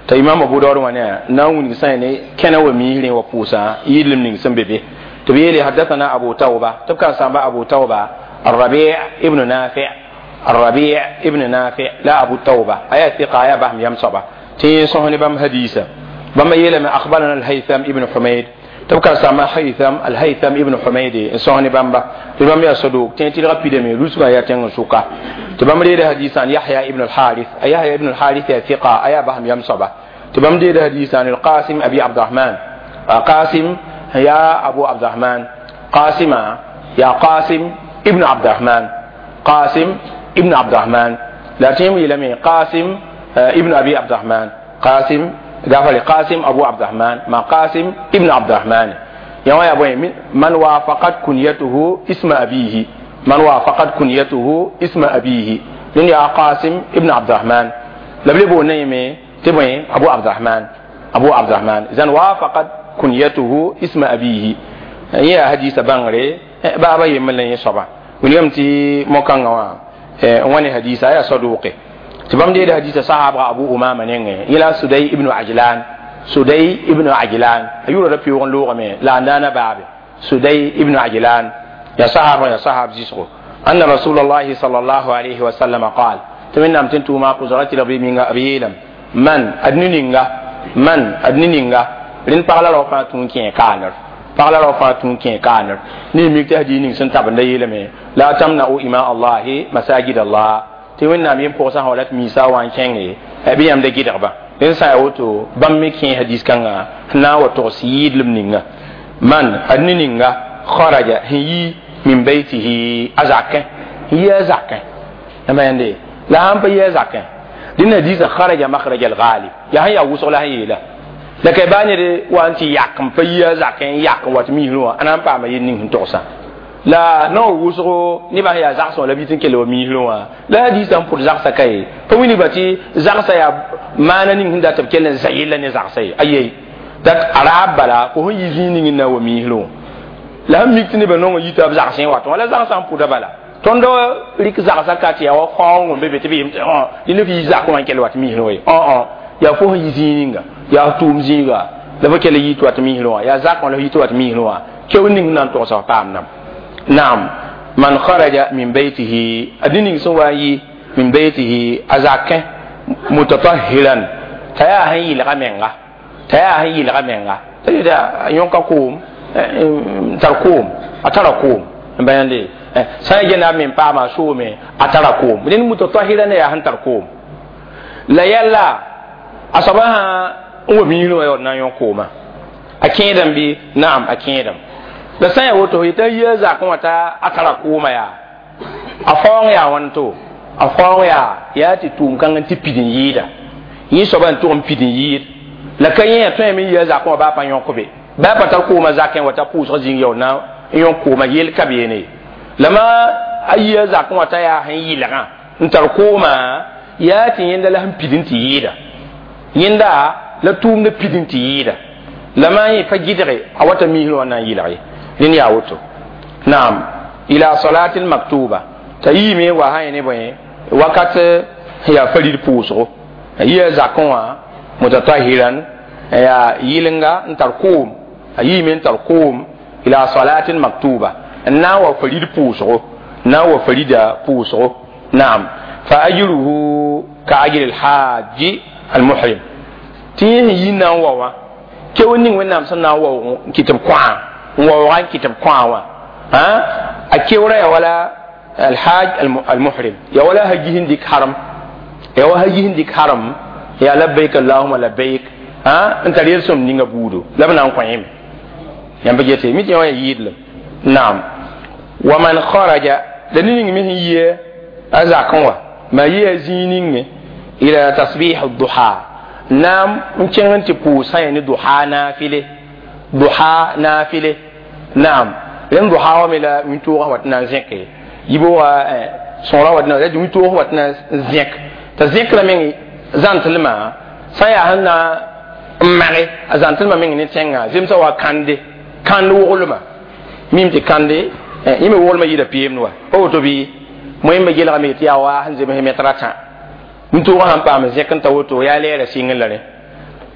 ta imam Abu Dawud wani na wuni sai ne kana wa mihrin wa pusa yilim ning sun bebe to biyele haddathana Abu Tauba tabka samba Abu Tauba Ar-Rabi' ibn Nafi' Ar-Rabi' ibn Nafi' la Abu Tauba aya thiqa ya bahm yamsaba ti sohni bam hadisa bam yele ma akhbarana Al-Haytham ibn Humayd تبقى سما هيثم الهيثم ابن حميد سوني بامبا تبام يا صدوق تنتي رابيد مي لوسما يا تن سوكا تبام دي حديث عن يحيى ابن الحارث يحيى ابن الحارث يا ثقة ايا بهم يمصبا تبام دي حديث عن القاسم ابي عبد الرحمن قاسم يا ابو عبد الرحمن قاسم يا قاسم ابن عبد الرحمن قاسم ابن عبد الرحمن لا تيم يلمي قاسم ابن ابي عبد الرحمن قاسم غافل قاسم أبو عبد الرحمن ما قاسم ابن عبد الرحمن يا أبوي من وافقت كنيته اسم أبيه من وافقت كنيته اسم أبيه من يا قاسم ابن عبد الرحمن لبلبو نيمي تبوي أبو عبد الرحمن أبو عبد الرحمن إذن وافقت كنيته اسم أبيه يا حديث بانغري بابا يملن يصبا وليوم تي موكانغوا واني حديث يا صدوقي تبام دي حديث صحابة أبو أمامة نينغ إلى سدي ابن عجلان سدي ابن عجلان أيورا ربي وغن لوغة مي لا عندنا باب سدي ابن عجلان يا صحابة يا صحاب زيسو أن رسول الله صلى الله عليه وسلم قال تمنى أمتنتو ما قزرات ربي من أبيلم من أدنينغا من أدنينغا لين بغلا روفا تونكين كانر بغلا روفا تونكين كانر ني ميكتا هدينين سنتابن ديلمي لا تمنعوا إماء الله مساجد الله tɩ wẽnnaam yem pʋgsa sã wa rat miisa wã n kẽnge bɩ yãmb da gɩdgba dẽn sã n yaa woto bãmb me kẽ hadis kãnga sẽn na n wa togs yɩɩdlem ninga man ad ne ninga kharaja sẽn yi min baytihi a zakẽ n yi a zakẽ yãmba yãnde la sãn pa yi a zakẽ dẽn hadisã kharaja makhraja al-ghalib yaa sẽn yaa wʋsg la sẽn yeela la ka baa ned wa n tɩ yak n pa yi a zakẽ n yak n wat misrẽ wã a na n paama yel ning sẽn togsa la no wusgo ni ba ya zakso la bitin kele mi hilwa la hadisa n pʋd zagsa ka ye pa wini ba tɩ zagsa yaa maana ning sẽn dat b kell n za yella ne zagsa ye aye dat arab bala fo sẽn yi zĩig ning n na wa miislẽ la sẽn mik tɩ nebã nong n yita b zagsẽ wa tõ la zagsa n pʋda bala tõnd rɩk zagsa ka tɩ yaa wa faoong n be be tɩ b yem tɩ dẽnd f yi zak wã n kell wat miislẽ wa ye yaa fo sẽn yi zĩig ninga yaa tʋʋm zĩiga la fo kell yi tɩ wat miislẽ wã yaa zak wã la f yi tɩ wat miislẽ wã keo ning sẽn na n togsa f paam nam نعم من خرج من بيته أدنين سواي من بيته أزاك متطهرا تيا هي لغمنغا تيا هي لغمنغا تيا يونكا كوم تركوم أتركوم بيان لي سيجنا من باما سومي أتركوم لأن متطهرا يا هن تركوم لا يلا أصبها هو ميلو يونا يونكوما أكيدم بي نعم أكيدم la sã n yaa woto yetɩ a yi a zakẽ wã t'a a tara kʋʋmã yaa a faoong yaa wãn to a faoong yaa tɩ tʋʋm kãng n tɩ pid n yɩɩda yẽ soaba n tʋg n pid n yɩɩd la ka yẽ yaa tõe me n yi a zakẽ wã baa pa yõk be baa pa tar kʋʋmã zakẽ wa t'a pʋʋsg zĩig yaool na n yõk kʋʋmã yel ka beene la ma a yi a zakẽ wã t'a yaa sẽn yɩlgã n tar kʋʋmã yaa tɩ yẽnda la sẽn pid n tɩ yɩɩda yẽnda la tʋʋmda pid n tɩ yɩɩda la maa yẽ pa gɩdge a wata miisrẽ wã na n yɩlg ye nin yaa woto naam ila salatin maktuba t'a yiime wa sã ne bõe wakat yaa farid pʋʋsgo a yia zakẽ wã mutatahiran yaa yɩlenga n tar kʋʋm a yiime n tar kʋʋm ila salatin maktuba n na n wa farid pʋʋsgo n na n wa farida pʋʋsgo naam Fa ajruhu ka ajri alhaji almuhrim. Tɩ yẽ sẽn yi na n wa wã keoor ning Wẽnnaam sẽn na n waoog n kɩt b kõa n waooga n kɩt b kõa wã a keoora ya wala alhaj almuhrim ya wala haji sẽn dɩk haram ya wa haji sẽn dɩk haram ya labbaik allahuma labbaik n tar yel-sõmd ninga buudo la b na n kõ yẽme yãmb gete mi tɩ yã wã ya yɩɩdlem. Naam, wa man kharaja la ne ning me sẽn yɩ a zakẽ wã ma yɩ a zĩig ninge ila tasbih duha naam n kẽng n tɩ pʋʋsã yẽ ne duha naafile duha naafile. Naam, rẽnd duha wã me la wĩntoogã wa tɩ na n zẽke yiboogã sõora wa tɩ na wĩntoog wa tɩ na n zẽk t'a zẽkrã meng zãntlmã sã n yaa sẽn na n mage a zãntlmã meng ne tẽngã zemsã wa kãnde kãnd woglmã mim tɩ kãnde yẽ me woglmã yɩɩda peemd wa pa woto bɩ moẽmbe gelgame tɩ yaa wa sẽn zems mɛtr a tã wĩntoogã sãn paam zẽk n ta woto yaa lɛɛra sɩngr la rẽ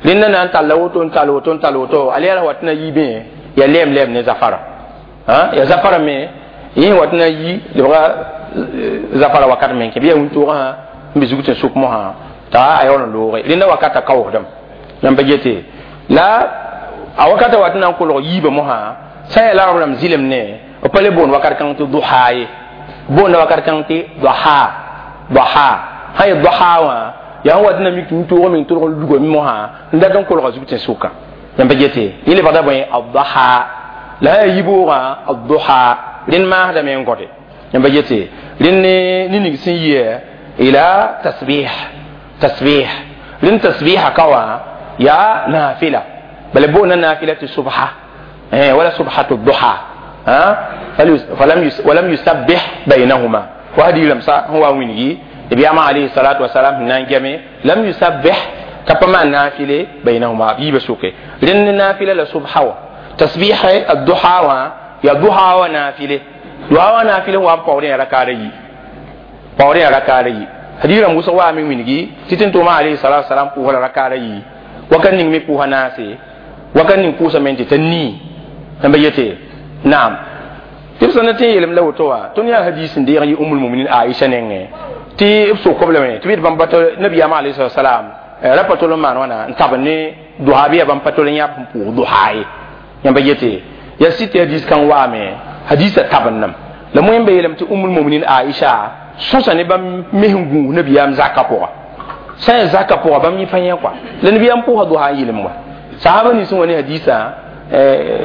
rẽnda na n talla woto n tall woto n tall woto a lɛɛra wa tɩ na yiibẽ ya lɛɛm lɛɛm ne zafara ya zafara me yẽ wa tɩ na yi lebga zafara wakat meng kẽ bɩ yaa wĩntoogã n be zug tɩ n sʋk mosã t'a a yaool n looge rẽnda wakata kaoosdame yãmb pa gete la a wakata wa tɩ na n kolg yiibã mosã sã n yaa la rãmb zɩlem ne b pa le boond wakat kãng tɩ duha ye boonda wakat kãng tɩ duha duha sã n yẽ duha wã yaa sẽn wa tɩ na mik wĩntoog meng tʋlg n lugame mosã n dat n kolga zug tɩ n sʋka yãmb pa gete yẽ lebgda bõe adduha la sã yaa yiboogã adduha rẽnd maasdame n gõde yãmb pa gete rẽnd ne ning sẽn yɩ ila tasbih tasbih rẽnd tasbiha ka wã yaa naafila bala boonda naafila tɩ subha wala subhatu duha walam yusabbih baynahuma wa hadiilam sa sẽn wa n wilgi nabiyama alayhi salatu wasalam sẽn na n geme lam yusabbih t'a pa maan naafile baynahuma b yiibã sʋke rẽnd naafila la subha wã tasbih adduha wã yaa duha wã naafile duha wã naafile sẽn wa n paoodẽ yaa rakaada yi paoodẽ yaa rakaada yi hadiirãmb wʋsg waame wilgi tɩ tɩ n tʋʋma alayhi salatu wasalam pʋʋsa la rakaada yi wakat ning me pʋʋsa naase wakat ning pʋʋsa me n tɩ ta nii yãmba yete. Naam, tɩ b sẽn na tɩ n yeelem la woto wã tõnd yaa hadis n deeg n yɩ umul muminin Aisha nengẽ tɩ b sokb lame tɩ b yet bãmb pa nabiyaamã alayhi salatu wasalam ra pa tol n maan wãna n tab ne duha bɩ yaa bãmb pa tol n yãb sẽn pʋʋs duha ye yãmba yete yaa sɩd tɩ hadis kãng waame hadisã tabendame la moẽmba yeelame tɩ umul muminin Aisha sõsa ne bãmb mes n gũus nabiyaam zakã pʋga sã n yaa zakã pʋga bãmb yẽ pa yẽ kɔa la nabiyaam pʋʋsa duha n yɩlem wa sahaba nins n wa ne hadisã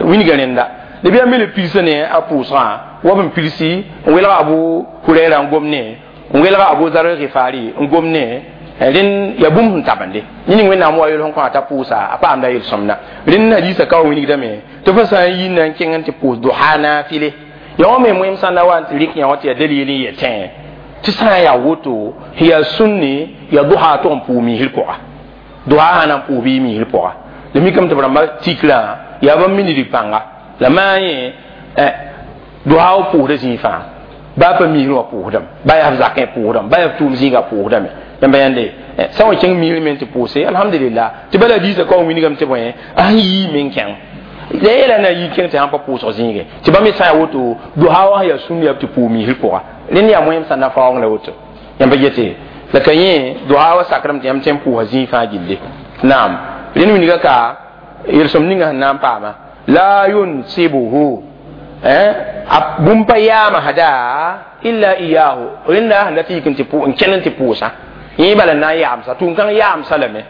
wilga rẽnda nabiyaam me le pilsa ne a pʋʋsgã wa b n pilsi n welga Abu Hurɛra n gom ne n welga Abu Zar Gifari n gom ne rẽnd yaa bũmb sẽn tabende yẽ ning Wẽnnaam wa yel sẽn kõ a t'a pʋʋsa a paamda yel-sõmda rẽnd hadisã ka wa wilgdame tɩ fo sã n yi na n kẽng n tɩ pʋʋs duha naafile ya wã me moẽm sã n na wa n tɩ rɩk yã wã tɩ yaa dalil n yetẽ tɩ sã n yaa woto yaa sũnni yaa duha tʋg n pʋʋs miisr pʋga duha sã na n pʋʋs bɩ miisr pʋga la mikame tɩ b rãmba tikrã yaa bãmb minidg pãnga la maa yẽ duha wa pʋʋsda zĩig fãa baa pa miisr wã pʋʋsdame baa yaa f zakẽ pʋʋsdame baa yaa f tʋʋm zĩigã pʋʋsdame yãmba yãnde sã n wa kẽng miisr me n tɩ pʋʋse alhamdulillah tɩ bala diisã ka wa wilgame tɩ bõe a sẽn yii me n kẽng la yeela na yi kẽng tɩ sãn pa pʋʋsg zĩige tɩ bãmb sã n yaa woto duha wã sẽn yaa sũnd yaa tɩ pʋʋs miisr pʋga rẽnd yaa moẽm sã na faoong la woto yãmba yete la ka yẽ duha wa sakrame tɩ yãmb tõe n pʋʋsa zĩig fãa gilli. Naam, rẽnd wilga ka yel-sõmd ninga sẽn na n paama la yunsibuhu a bũmb pa yaama hada illa iyahu rẽnda sẽn dat yik n kẽnd n tɩ pʋʋsã yẽ bala n na n yaamsa tʋʋm-kãng yaamsa lame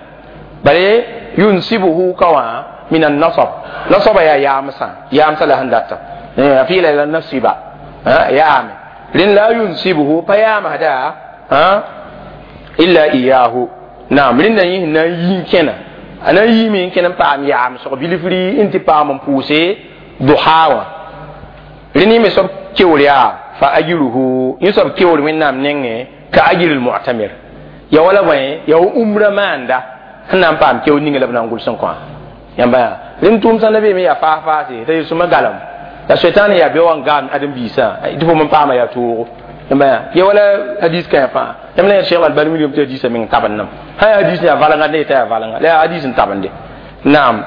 bale yunsibuhu ka wã min annasab nasaba yaa yaamsã yaamsa la sẽn data a fɩɩla la nasiba yaame rẽnd la yunsibuhu pa yaamsda illa iyahu. Naam, rẽnda yẽ sẽn na n yi n kẽna a na n yiime n kẽn n paam yaamsg bilfri n tɩ paam n pʋʋse duha wã rẽnd yẽ me soab keoor yaa fa ajruhu yẽ soab keoor Wẽnnaam nengẽ ka ajri lmu'tamir ya wala bõe ya wa umra maanda sẽn na n paam keoor ninga la b na n gʋls n kõ yãmba yaa rẽnd tʋʋm sã na beeme yaa faas faase t'a yel-sõma galem la soetãan yaa bɩ wa n gaam ãdem-biisã tɩ fo n paama yaa toogo yãmba yaa ya wala hadis kãe fãa yãmb la yaa Cheikh Albani wilgame tɩ hadisã meng tabendame sã yaa hadis yaa valnga ne yeta yaa valnga la yaa hadis n tabende. Naam,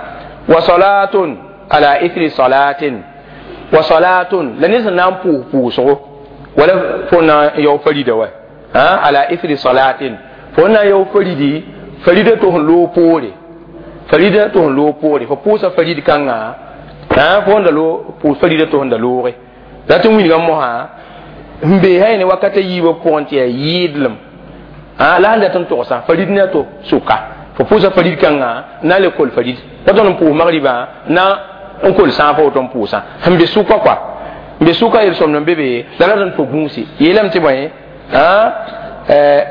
wa salatun ala ithri salatin wa salatun la ned sẽn na n pʋʋs pʋʋsgo wala fo na n yao farida wa Ala ithri salatin fo na yao faridi farida to lo pore farida to lo pore fo pusa farid kanga fo nda lo pu farida to nda lore la tɩ wilgã mosã n bee hay ne wakat a yiibã pʋgẽ tɩ yaa yɩɩdlem la sẽn dat n togsã farid ne a to sʋka fo pʋʋsa farid kãngã na le kol farid pa tõnd n pʋʋs magribã na n kol sãag fa woto n pʋʋsã sẽn be sʋka kɔa n be sʋka yel-sõmd n be be la rat n fo gũusi yeelame tɩ bõe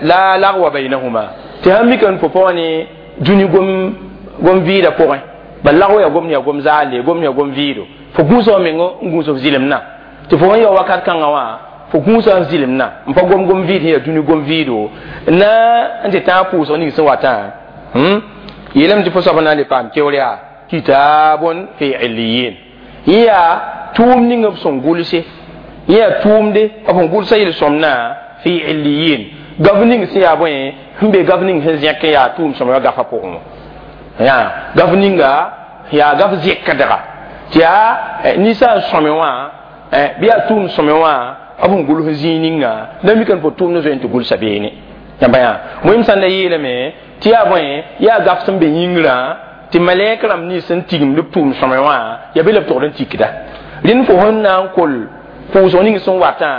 la lagwa bainahuma tɩ sãn mika n fo pa wa ne dũni gom vɩɩdã pʋgẽ bal lagw yaa gom yaa gom zaale gom yaa gom vɩɩdo fo gũusa wa meng n gũus f zɩlemdã tɩ fo sẽn ya wakat kãngã wã fo gũusa n zɩlemdã n pa gom gom vɩɩd sẽn yaa dũni gom vɩɩdo na n tɩ tãag pʋʋsg ning sẽn watã yeelame tɩ fo soab na n le paam keoor yaa kitabun fi illiyin yẽ yaa tʋʋm ning b sẽn gʋlse yẽ yaa tʋʋmde b sẽn gʋlsa yel-sõmdã fi illiyin gaf ning sẽn yaa bõe sẽn be gaf ning sẽn zẽk n yaa tʋʋm sõma gafa pʋgẽ wã yaa gaf ninga yaa gaf zẽkdga tɩ yaa ninsã n sõme wã bɩ yaa tʋʋm sõme wã b sẽn gʋls zĩig ninga la mika n fo tʋʋmd zoe n tɩ gʋlsa beene yãmba yaa wẽm sãn da yeelame tɩ yaa bõe yaa gaf sẽn be yĩngrã tɩ malɛk rãmb nins sẽn tigimd b tʋʋm sõme wã yaa be la b togd n tikda rẽnd fo sẽn na n kol pʋʋsg ning sẽn watã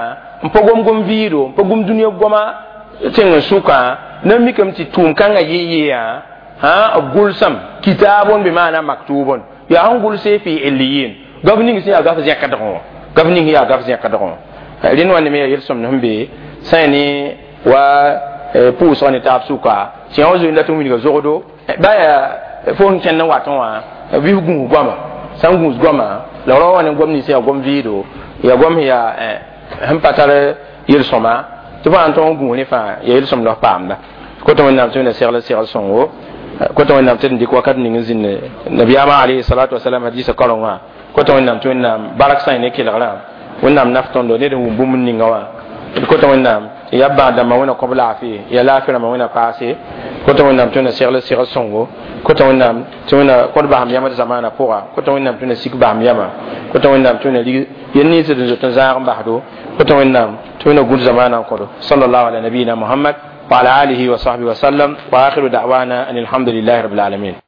n pa gom gom vɩɩdo n pa gom dũniyã goama tẽng n sʋkã na mikame tɩ tʋʋm kãngã yɩ yɩ b gʋlsame kitaabon bɩ maana maktubon yaa sẽn gʋlse fi illiyin gaf ning sẽn yaa gaf zẽkdgẽ wã gaf ning yaa gaf zẽkdgẽ wã rẽnd wã neme yaa yel-sõmd sẽn be sã ne wa pʋʋsg ne taab sʋka tɩ yã wã zoe n dat n wilga zogdo ba yaa fo sẽn kẽnd n watẽ wã bɩ f gũus goama sã n gũus goama la rao wã ne gom nins yaa gom vɩɩdo yaa gom sẽn yaa sẽn pa tar yel-sõma tɩ fo sãn tõg n gũus ne fãa yaa yel-sõmd f paamda kota wẽnnaam tɩ wẽnna segl segl sõngo kota wẽnnaam tɩ d dɩk wakat ning n zĩnd nabiyaamã alayhi salatu wasalam hadisa karengã kota wẽnnaam tɩ wẽnnaam bark sã ne kelgrã wẽnnaam naf tõndo ned n wʋm bũmb ninga wã d kota wẽnnaam tɩ yaa bãag-dãmbã wẽna kõb laafɩ ya laafɩ rãmbã wẽna paase kota wẽnnaam tɩ wẽnna segl segl sõngo kota wẽnnaam tɩ wẽnna kõd basem yãmb d zamaanã pʋga kota wẽnnaam tɩ wẽnna sik basem yãmã kota wẽnnaam tɩ wẽnna rig yel nins d n zoet n zãag n basdo kota wẽnnaam tɩ wẽnna gũud zamaanã n kõdo sallallahu ala nabiyina muhammad وعلى آله وصحبه وسلم وآخر دعوانا أن الحمد لله رب العالمين.